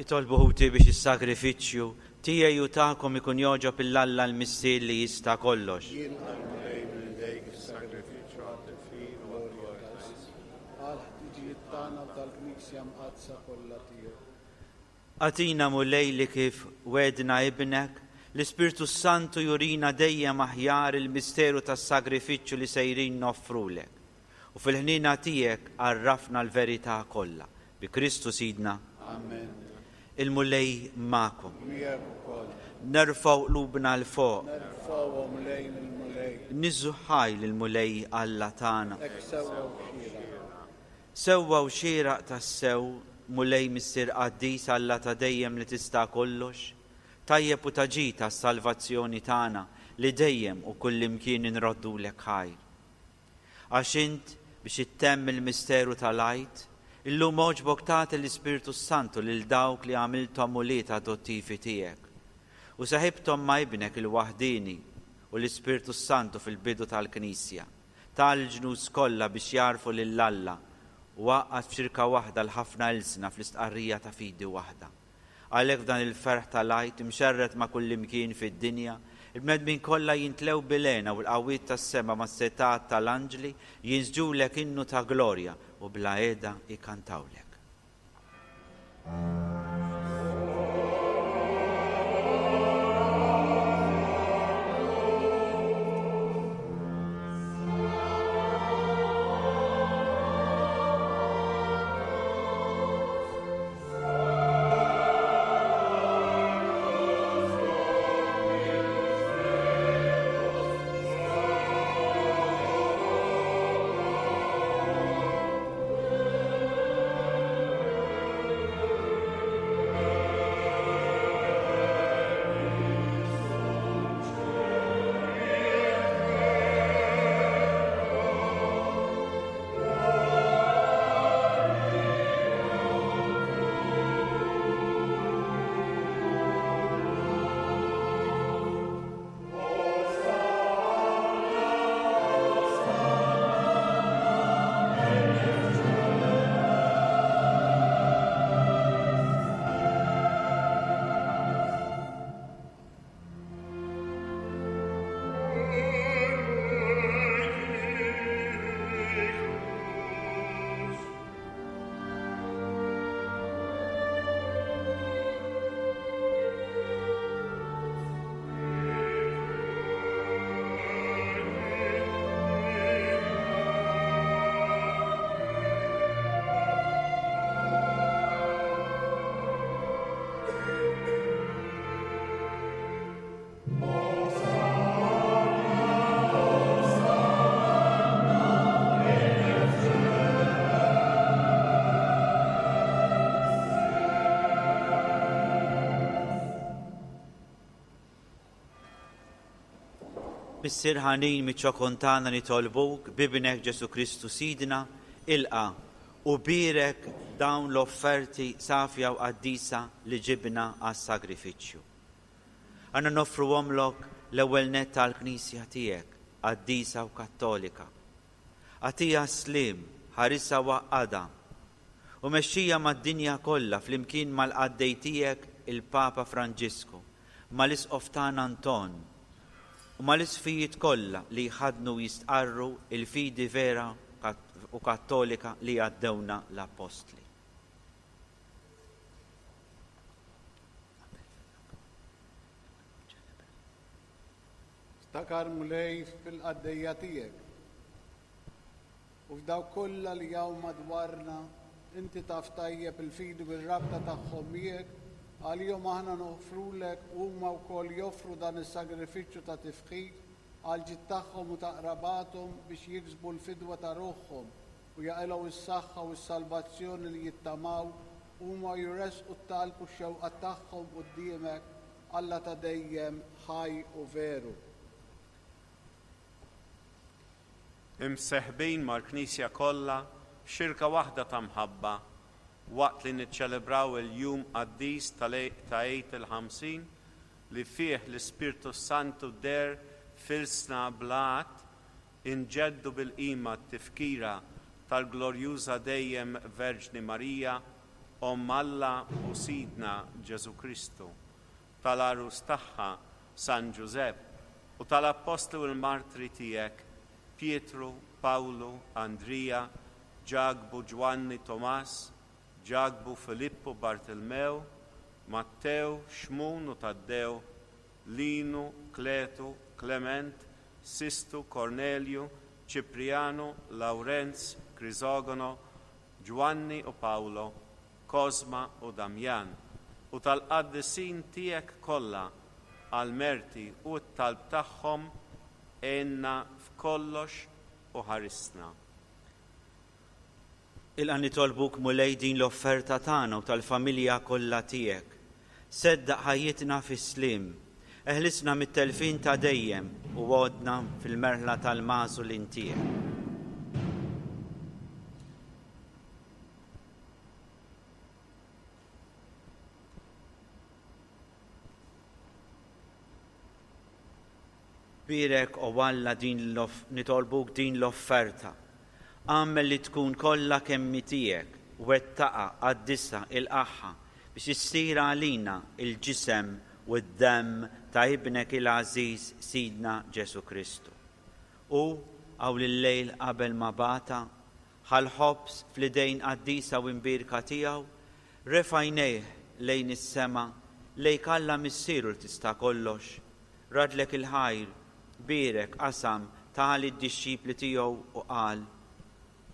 Itolbu ħuti biex is-sagrifiċċju tiegħi u tagħkom ikun jogħġob 'il Alla l-Missier li jista' kollox. Jilqa' l-Mulej minn idejk is-sagrifiċċju għat-tifħir u għall-glorja ta' ismu. Għall-ħtiġijiet tagħna u tal-Knisja mqaddsa kollha tiegħu. Agħtina Mulej li kif wegħdna Ibnek, l-Ispirtu s-Santu jurina dejjem aħjar il-misteru tas-sagrifiċċju li sejrin noffrulek. U fil-ħniena tiegħek għarrafna l-verità kollha. Bi Kristu Sidna. Amen. Il-Mulej magħkom. Miegħek ukoll. Nerfgħu qlubna 'l fuq. Nerfgħuhom lejn il-Mulej. Niżżu ħaj lill-Mulej Alla tagħna. Hekk sewwa u xieraq. Sewwa u xieraq tassew, Mulej Missier Qaddis Alla ta' dejjem li tista' kollox, tajjeb u ta' ġid għas-salvazzjoni tagħna li dejjem u kullimkien inroddulek ħajr. Għax int, biex ittemm il-misteru tal-Għid, illum għoġbok tagħti l-Ispirtu s-Santu lil dawk li għamilthom ulied adottivi tiegħek, u seħibthom ma' Ibnek il-waħdieni u l-Ispirtu s-Santu fil-bidu tal-Knisja, ta l-ġnus kollha biex jagħrfu lil Alla u għaqqad f'xirka waħda l-ħafna ilsna fl-istqarrija ta' fidi waħda. Għalhekk f'dan il-ferħ tal-Għid imxerred ma' kullimkien fid-dinja, il-bnedmin kollha jintlew bil-hena u l-qawwiet tas-sema mas-setgħat tal-anġli jinsġulek innu ta' glorja u bla heda jkantawlek. Missier ħanin miċ-ċokon tagħna nitolbuk b'Ibnek Ġesù Kristu Sidna, ilqa' u bierek dawn l-offerti safja u qaddisa li ġibna għas-sagrifiċċju. Għandna noffruhomlok l-ewwel nett għall-Knisja tiegħek, qaddisa u kattolika. Agħtiha s-sliem, ħarisha u għaqqadha, u mexxija mad-dinja kollha flimkien mal-qaddej tiegħek il-Papa Franġisku, mal-Isqof tagħna Anton, u mal-isqfijiet kollha li jħaddnu u jistqarru l-fidi vera u kattolika li għaddewna l-Appostli. Ftakar, Mulej, fil-qaddejja tiegħek u f'dawk kollha li hawn madwarna, inti taf tajjeb il-fidi u r-rabta tagħhom miegħek, għalihom aħna noffrulek u huma wkoll joffru dan is-sagrifiċċju ta' tifħir għall-ġid tagħhom u ta' qrabathom biex jiksbu l-fidwa ta' ruħhom u jaqilgħu s-saħħa u s-salvazzjoni li jittamaw, huma jressqu t-talb u x-xewqat tagħhom quddiemek, Alla ta' dejjem, ħaj u veru. Imseħbin mal-Knisja kollha f'xirka waħda ta' mħabba waqt li niċċelebraw il-jum qaddis ta' Għid il-Ħamsin li fih l-Ispirtu s-Santu deher f'ilsna bla għadd, inġeddu bil-qima t-tifkira tal-glorjuża dejjem Verġni Marija. Omm Alla u Sidna Ġesù Kristu, tal-Għarus tagħha San Ġużepp, u tal-Appostli u l-Martri tiegħek Pietru, Pawlu, Andrija, Ġakbu, Ġwanni, Tomas, Ġakbu, Filippu, Bartilmew, Mattew, Xmun u Taddew, Linu, Kletu, Klement, Sistu, Kornelju, Ċiprijanu, Lawrenz, Kriżogono, Ġwanni u Pawlo, Kosma u Damjan, u tal-qaddisin tiegħek kollha, għall-merti u t-talb tagħhom għinna f'kollox u ħarisna. Ilqa' nitolbuk Mulej din l-offerta tagħna u tal-familja kollha tiegħek. Seddaq ħajjitna fis-sliem. Eħlisna mit-telfien ta' dejjem u għoddna fil-merħla tal-magħżulin tiegħek. Bierek, O Alla, din nitolbuk din l-offerta. Agħmel li tkun kollha kemm hi tiegħek, wettaqha, qaddisha, ilqagħha, biex issir għalina l-ġisem u d-demm ta' Ibnek il-għażiż Sidna Ġesù Kristu. Hu, hawn il-lejl qabel ma bata, ħa l-ħobż fl-idejn qaddisa u imbierka tiegħu, refa' għajnejh lejn is-sema, lejk Alla Missieru li tista' kollox, Raddlek il-ħajr, bierek, qasam, ta lid-dixxipli tiegħu u qal,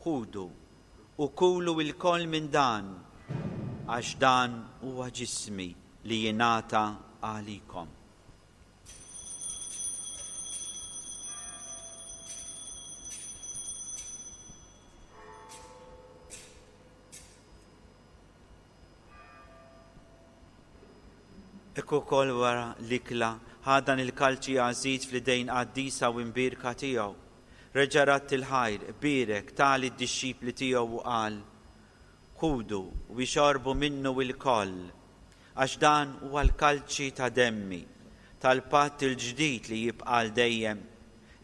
Ħudu u kulu ilkoll minn dan, għax dan huwa ġismi li jingħata għalikom. Hekk ukoll wara l-ikla, ħa dan il-kalċi għażiż fl-idejn qaddisa u imbierka tiegħu. Reġa' radd il-ħajr, bierek, ta lid-dixxipli tiegħu u qal, Ħudu u ixorbu minnu ilkoll, għax dan huwa l-kalċi ta' demmi, tal-patt il-ġdid li jibqa' għal dejjem,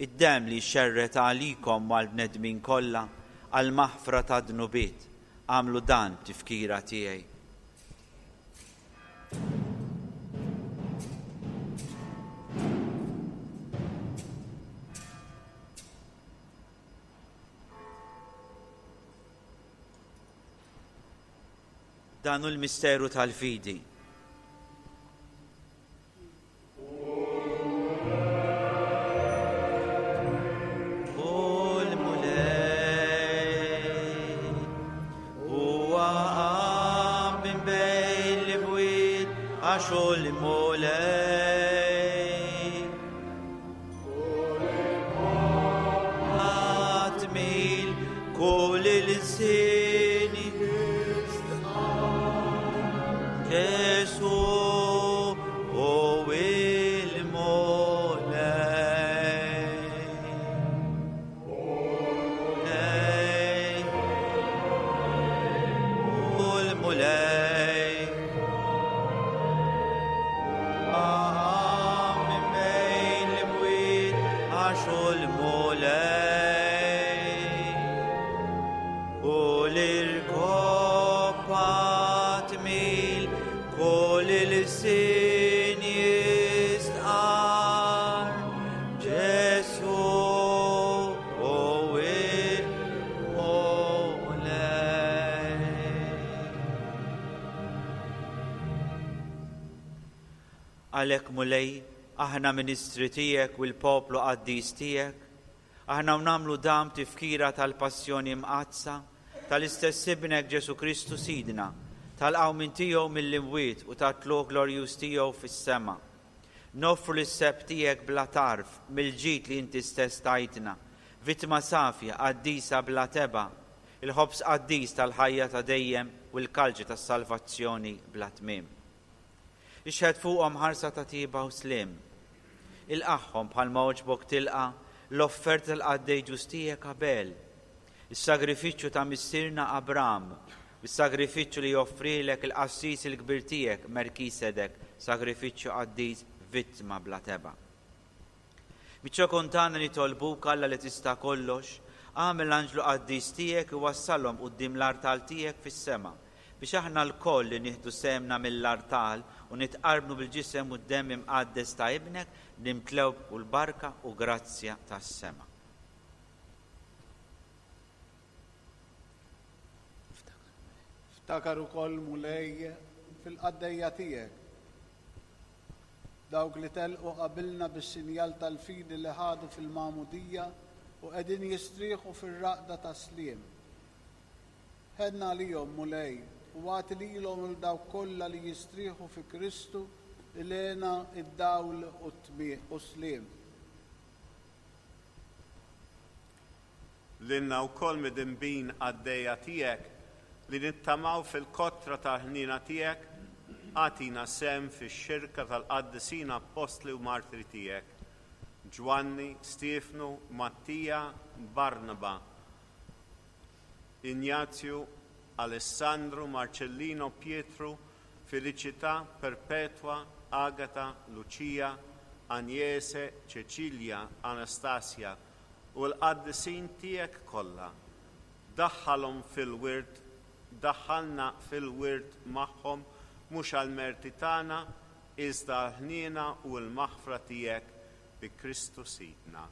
id-demm li jxerred għalikom u għall-bnedmin kollha għall-maħfra tad-dnubiet. Agħmlu dan b'tifkira tiegħi. Dan hu l-misteru tal-fidi. Għalhekk, Mulej, aħna ministri tiegħek u l-poplu qaddis tiegħek, aħna u nagħmlu dan b'tifkira tal-passjoni mqaddsa tal-istess Ibnek Ġesù Kristu Sidna, tal-qawmien tiegħu mill-imwiet u tat-tlugħ glorjuż tiegħu fis-sema. Noffru lis-sebħ tiegħek bla tarf mill-ġid li inti stess tajtna, vittma safja, qaddisa bla tebgħa, il-ħobż qaddis tal-ħajja ta' dejjem u l-kalċi tas-salvazzjoni bla tmiem. Ixħet fuqhom ħarsa ta' tjieba u sliem. Ilqagħhom bħalma għoġbok tilqa' l-offerta tal-qaddej ġust tiegħek Abel, is-sagrifiċċju ta' missierna Abram, u s-sagrifiċċju li joffrilek il-qassis il-kbir tiegħek Melkisedek, sagrifiċċju qaddis, vittma bla tebgħa. Miċ-ċokon tagħna nitolbuk, Alla li tista' kollox, agħmel l-anġlu qaddis tiegħek iwassalhom quddiem l-artal tiegħek fis-sema, biex aħna lkoll li nieħdu sehemna mill-artal u nitqarbnu bil-Ġisem u d-Demm imqaddes ta' Ibnek, nimtlew b'kull barka u grazzja tas-sema. Ftakar ukoll, Mulej, fil-qaddejja tiegħek, dawk li telqu qabilna bis-sinjal tal-fidi li ħadu fil-magħmudija u qegħdin jistrieħu fir-raqda tas-sliem. Ħenn għalihom, Mulej, u agħti lilhom u 'l dawk kollha li jistrieħu fi Kristu l-hena, id-dawl u s-sliem. Lilna wkoll midinbin qaddejja tiegħek li nittamaw fil-kotra tal-ħniena tiegħek, agħtina sehem fix-xirka tal-qaddisin appostli u martri tiegħek, Ġwanni, Stiefnu, Mattija, Barnaba, Injazju, Alessandru, Marċellino, Pietru, Feliċità, Perpetwa, Agata, Luċija, Anjese, Ċeċilja, Anastasia, u l-qaddisin tiegħek kollha. Daħħalhom fil-wirt, daħħalna fil-wirt magħhom mhux għall-merti tagħna, iżda għall-ħniena u l-maħfra tiegħek bi Kristu Sidna.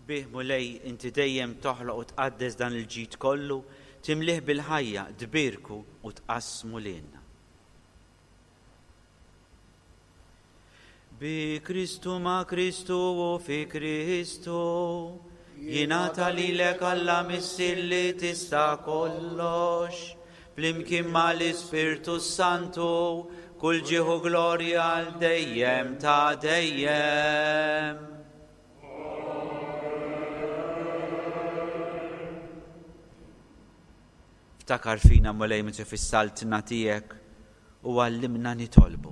Bih, Mulej, inti dejjem toħloq u tqaddes dan il-ġid kollu, timlieh bil-ħajja, tbierku u tqassmu lilna. Bi Kristu ma' Kristu u fi Kristu, jingħata lilek Alla Missier li tista' kollox, flimkien mal-Ispirtu s-Santu, kull ġieħ u glorja għal dejjem ta' dejjem. Ftakar fina Mulej meta fis-saltna tiegħek u għallimna nitolbu.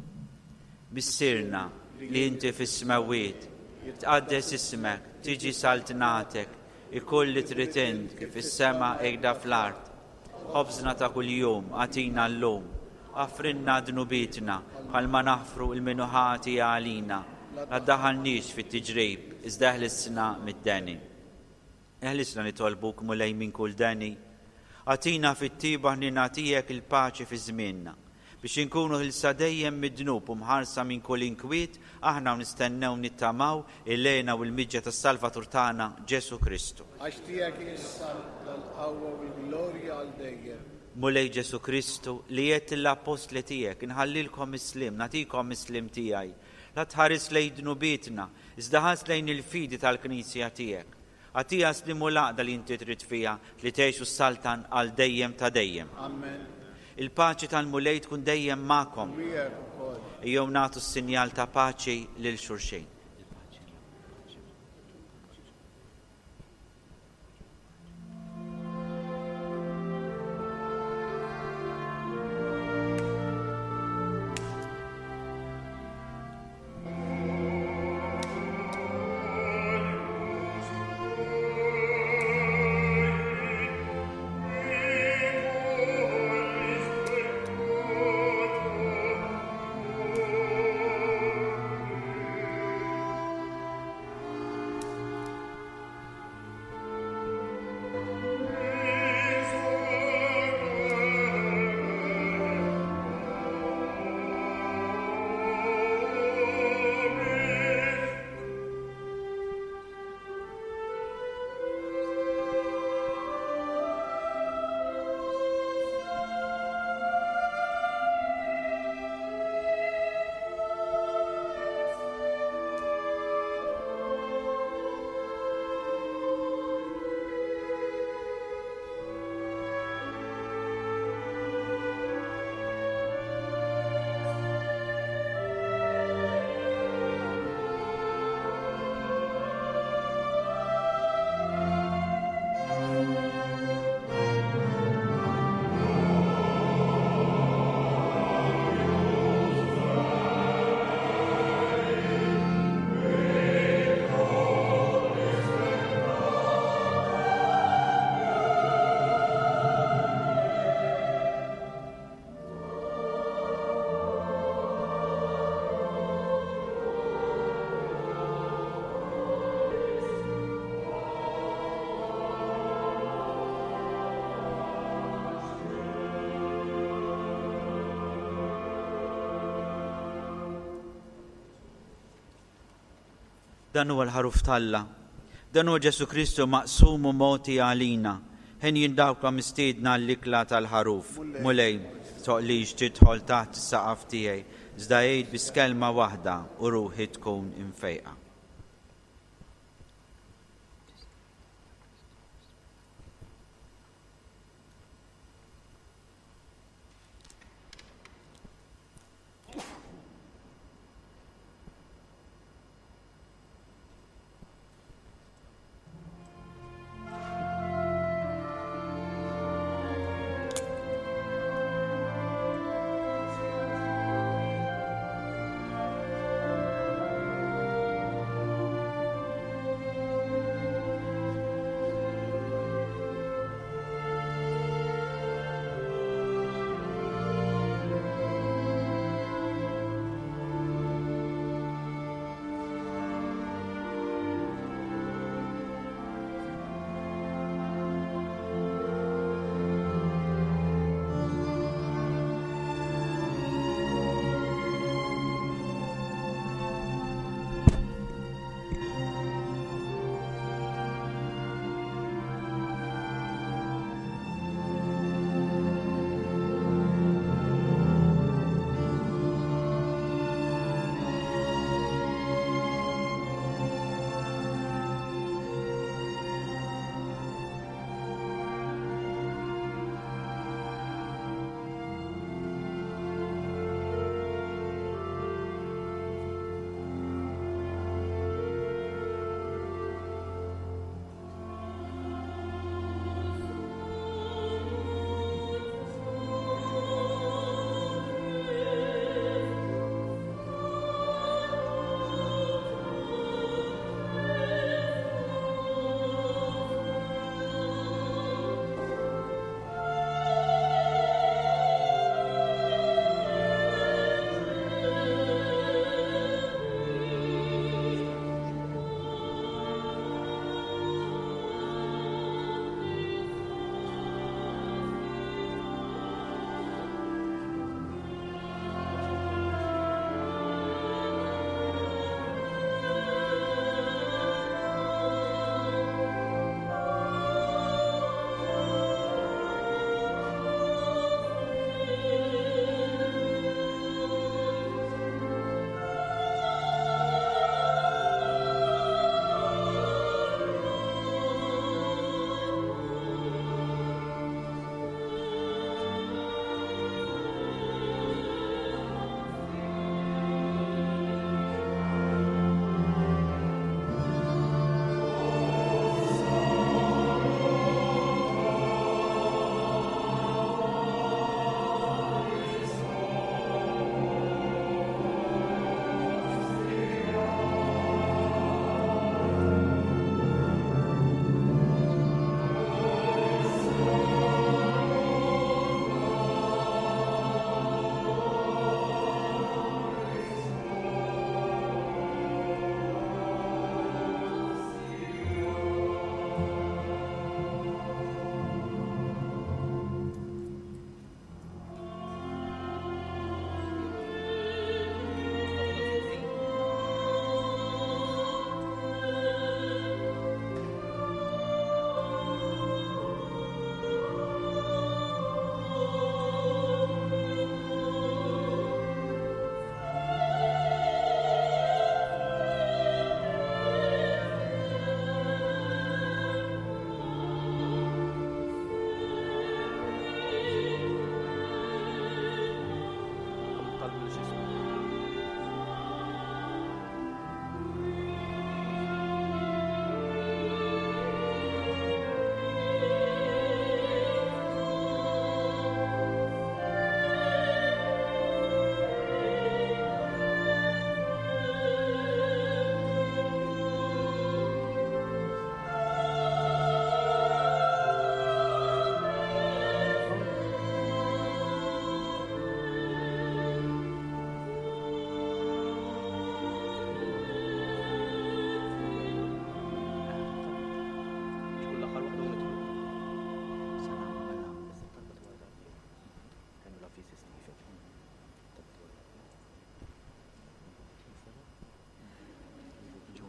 Missierna li inti fis-smewwiet, jitqaddes ismek, tiġi saltnatek, ikun li trid int kif fis-sema hekda fl-art. Ħobżna ta' kuljum agħtina llum. Aħfrilna dnubietna bħalma naħfru 'l min hu ħati għalina. La ddaħħalniex fit-tiġrib, iżda eħlisna mid-deni. Eħlisna nitolbuk, Mulej, minn kull deni. Agħtina fit-tjieba ħniena tiegħek il-paċi fi żmienna, biex inkunu ħilsa dejjem mid-dnub u mħarsa minn kull inkwiet, aħna u nistennew nittamaw il-hena u l-miġja tas-Salvatur tagħna, Ġesù Kristu. Għax tiegħek hi s-saltna, l-qawwa u l-glorja għal dejjem. Mulej Ġesù Kristu, li għedt lill-appostli tiegħek, Inħallilkom is-sliem, nagħtikom is-sliem tiegħi. La tħares lejn dnubietna, iżda ħares lejn il-fidi tal-Knisja tiegħek. Agħtiha s-sliem u l-għaqda li inti trid fiha, li tgħix u ssaltan għal dejjem ta' dejjem. Amen. Il-paċi tal-Mulej tkun dejjem magħkom. U miegħek ukoll. Ejjew nagħtu s-sinjal ta' paċi lil xulxin. Dan huwa l-Ħaruf t'Alla. Dan huwa Ġesù Kristu maqsum u mogħti għalina. Henjin dawk li mistiedna għall-ikla tal-Ħaruf. Mulej, toqlix tidħol taħt is-saqaf tiegħi, iżda għid biss kelma waħda u ruħi tkun imfejqa.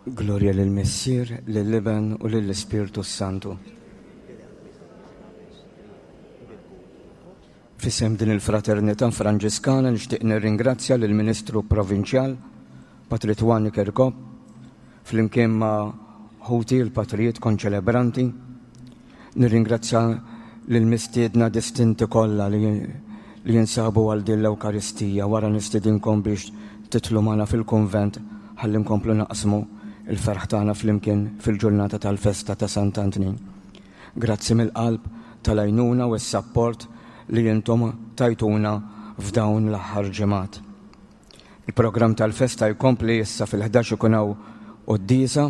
Glorja lill-Missier, lill-Iben u lill-Ispirtu s-Santu. F'isem din il-Fraternità Franġiskana nixtieq nirringrazzja lill-Ministru Provinċjal, Patri Twani Kirkop, flimkien ma' ħuti l-patrijiet konċelebranti. Nirringrazzja lill-mistiedna distinti kollha li li jinsabu għal din l-Ewkaristija. Wara nistidinkom biex titlu magħna fil-kunvent ħalli nkomplu naqsmu l-ferħ tagħna flimkien fil-ġurnata tal-festa ta' Sant'Antnin. Grazzi mill-qalb tal-għajnuna u s-sapport li intom tajtuna f'dawn l-aħħar ġimgħat. Il-programm tal-festa jkompli issa fil-11 ikun hawn quddiesa,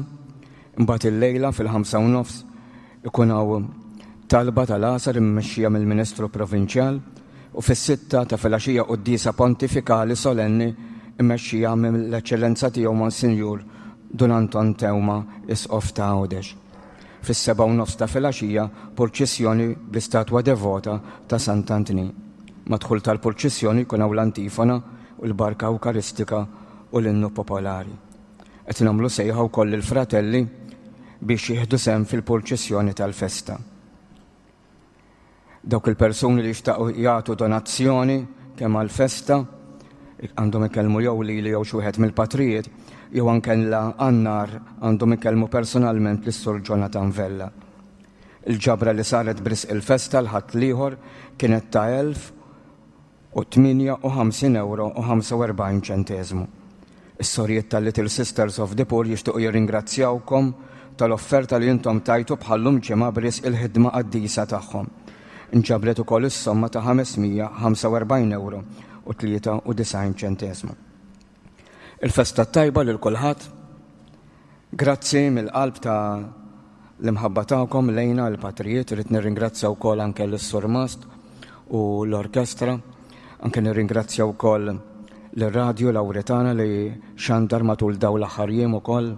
imbagħad illejla fil-5 u nofs ikun hawn talba tal-għasar immexxija mill-Ministru Provinċjal u fis-sitta ta' filgħaxija quddiesa pontifikali solenni mmexxija mill-Eċċellenza Tiegħu Monsinjur Dun Anton Teuma, Isqof ta' Għawdex. Fis-sebgħa u nofs ta' filgħaxija purċissjoni bl-istatwa devota ta' Sant'Antnin. Mad-dħul tal-purċissjoni jkun hawn l-antifona u l-barka Ewkaristika u l-innu popolari. Qed nagħmlu sejħa wkoll lill-fratelli biex jieħdu sehem fil-purċissjoni tal-festa. Dawk il-persuni li jixtaqu jagħtu donazzjoni kemm għall-festa għandhom ikellmu jew lili jew xi wieħed mill-patrijiet jew anke għan-nar għandhom ikellmu personalment lis-Sur Jonathan Vella. Il-ġabra li saret b'risq il-festa l-Ħadd l-ieħor kienet ta' 1058 ewro u 45 ċenteżmu. Is-sorijiet tal-Little Sisters of the Poor jixtiequ jirringrazzjawkom tal-offerta li intom tajtu bħal-lum ġimgħa b'risq il-ħidma qaddisa tagħhom. Inġabret ukoll is-somma ta' 545 ewro u 93 ċenteżmu. Il-festa t-tajba lil kulħadd. Grazzi mill-qalb ta' l-imħabba tagħkom lejna l-patrijiet, irrid nirringrazzja wkoll anke lis-Surmast u l-orkestra, anke nirringrazzja wkoll lir-Radju Lawretana li xandar matul dawn l-aħħar jiem ukoll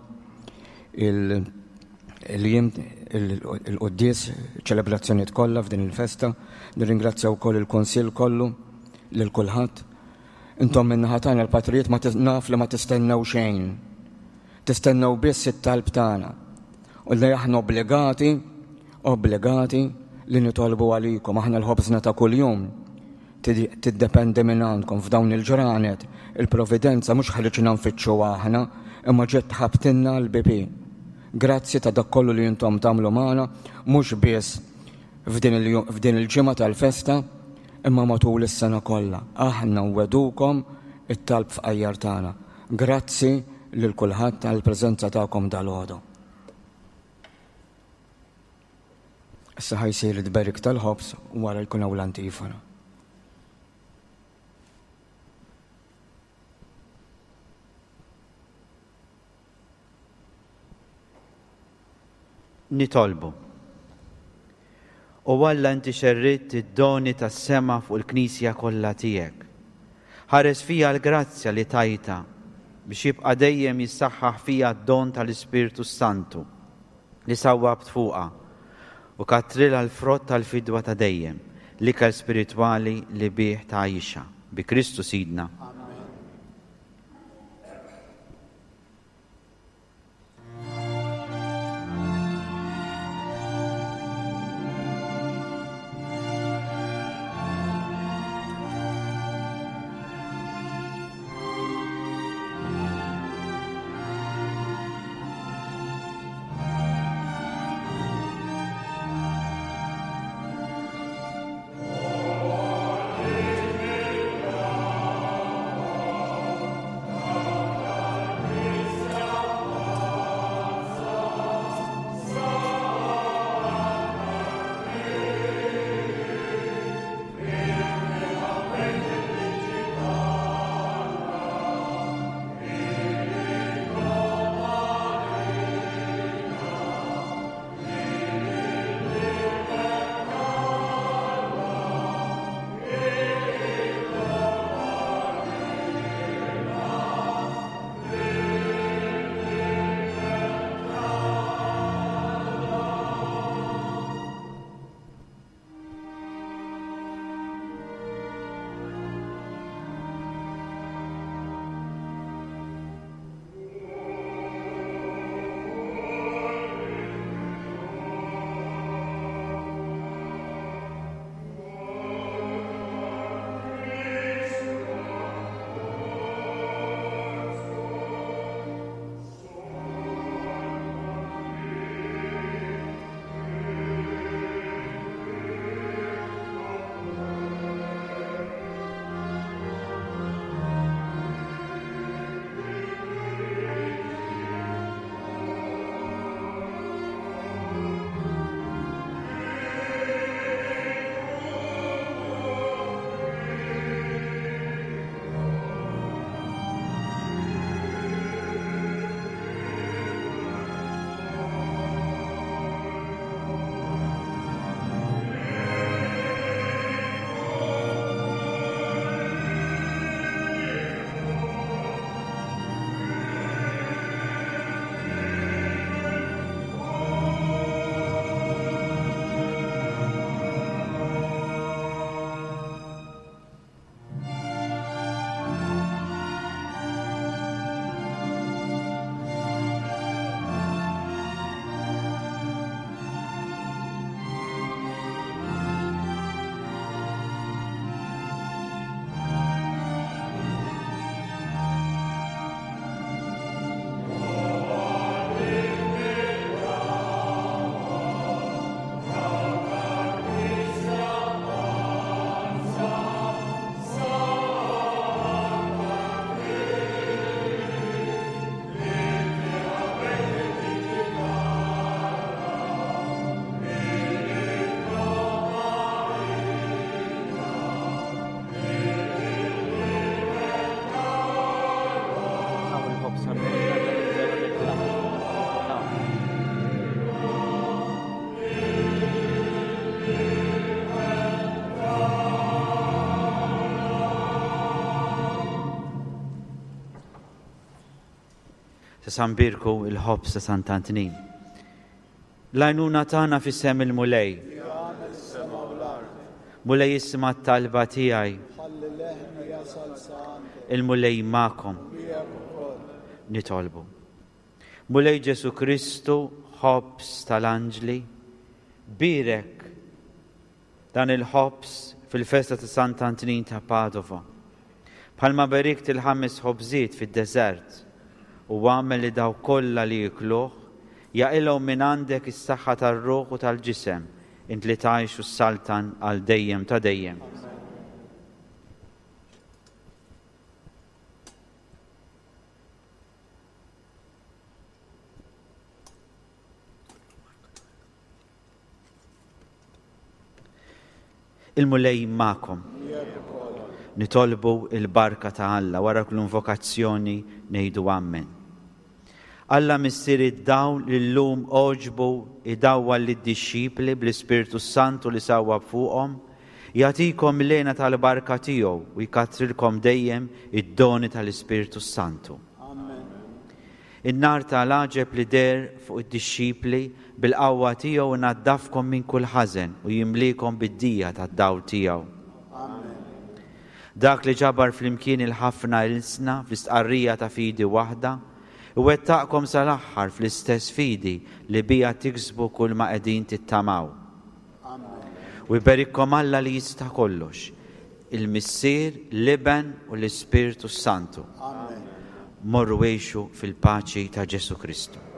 il-jiem il-quddies, ċelebrazzjonijiet kollha f'din il-festa. Nirringrazzja wkoll il-Kunsill kollu lil kulħadd. Intom min-naħa tagħna l-patrijiet ma naf li ma tistennew xejn. Tistennew biss it-talb tagħna. U li aħna obbligati, obbligati li nitolbu għalikom. Aħna l-ħobżna ta' kuljum tiddependi minn għandkom f'dawn il-ġranet. Il-providenza mhux ħriġna nfittxu aħna, imma ġiet tħabtinna l-BP. Grazzi ta' dak kollu li intom tagħmlu magħna, mhux biss f'din il-ġimgħa tal-festa, imma matul is-sena kollha. Aħna nwedukom it-talb fqajjar tagħna. Grazzi lil kulħadd għall-preżenza tagħkom dalgħodu. Issa ħa jsir it-tberik tal-ħobż u wara jkun hawn l-antifona. Nitolbu. O Alla inti xerridt id-doni tas-sema fuq il-Knisja kollha tiegħek. Ħares fija l-grazzja li tajtha biex jibqa' dejjem jissaħħaħ fija d-don tal-Ispirtu s-Santu li sawwabt fuqha u kattrilha l-frott tal-fidwa ta' dejjem, l-ikel spiritwali li bih tgħajjixha. Bi Kristu Sidna. Issa nbierku l-ħobż ta' Sant'Antnin. L-għajnuna tagħna f'isem il-Mulej. Li għamel is-sema u l-art. Mulej isma' t-talba tiegħi. Ħalli leħni jasal sa għandek. Il-Mulej magħkom. U miegħek ukoll. Nitolbu. Mulej Ġesu Kristu, ħobż tal-anġli, bierek dan il-ħobż fil-festa ta' Sant'Antnin ta' Padova. Bħalma berikt il-ħames ħobżiet fid-deżert u għamel li dawk kollha li jikluh jaqilgħu minn għandek is-saħħa tar-ruħ u tal-ġisem, int li tgħix u ssaltan għal dejjem ta' dejjem. Il-Mulej magħkom. Nitolbu il-barka ta' Alla wara kull invokazzjoni ngħidu Ammen. Alla Missier id-dawl li llum għoġbu idawwal lid-dixxipli bl-Ispirtu s-Santu li sawwab fuqhom, jagħtikom l-hena tal-barka tiegħu u jkattrilkom dejjem id-doni tal-Ispirtu s-Santu. In-nar ta' l-għaġeb li deher fuq id-dixxipli bil-qawwa tiegħu inaddafkom minn kull ħażen u jimliekom bid-dija tad-dawl tiegħu. Amen. Dak li ġabar flimkien il-ħafna ilsna fl-istqarrija ta' fidi waħda, iwettaqkom sa l-aħħar fl-istess fidi li biha tiksbu kull ma qegħdin tittamaw. U jberikkom Alla li jista' kollox, il-Missier, l-Iben u l-Ispirtu s-Santu. Amen. Morru għixu fil-paċi ta' Ġesù Kristu.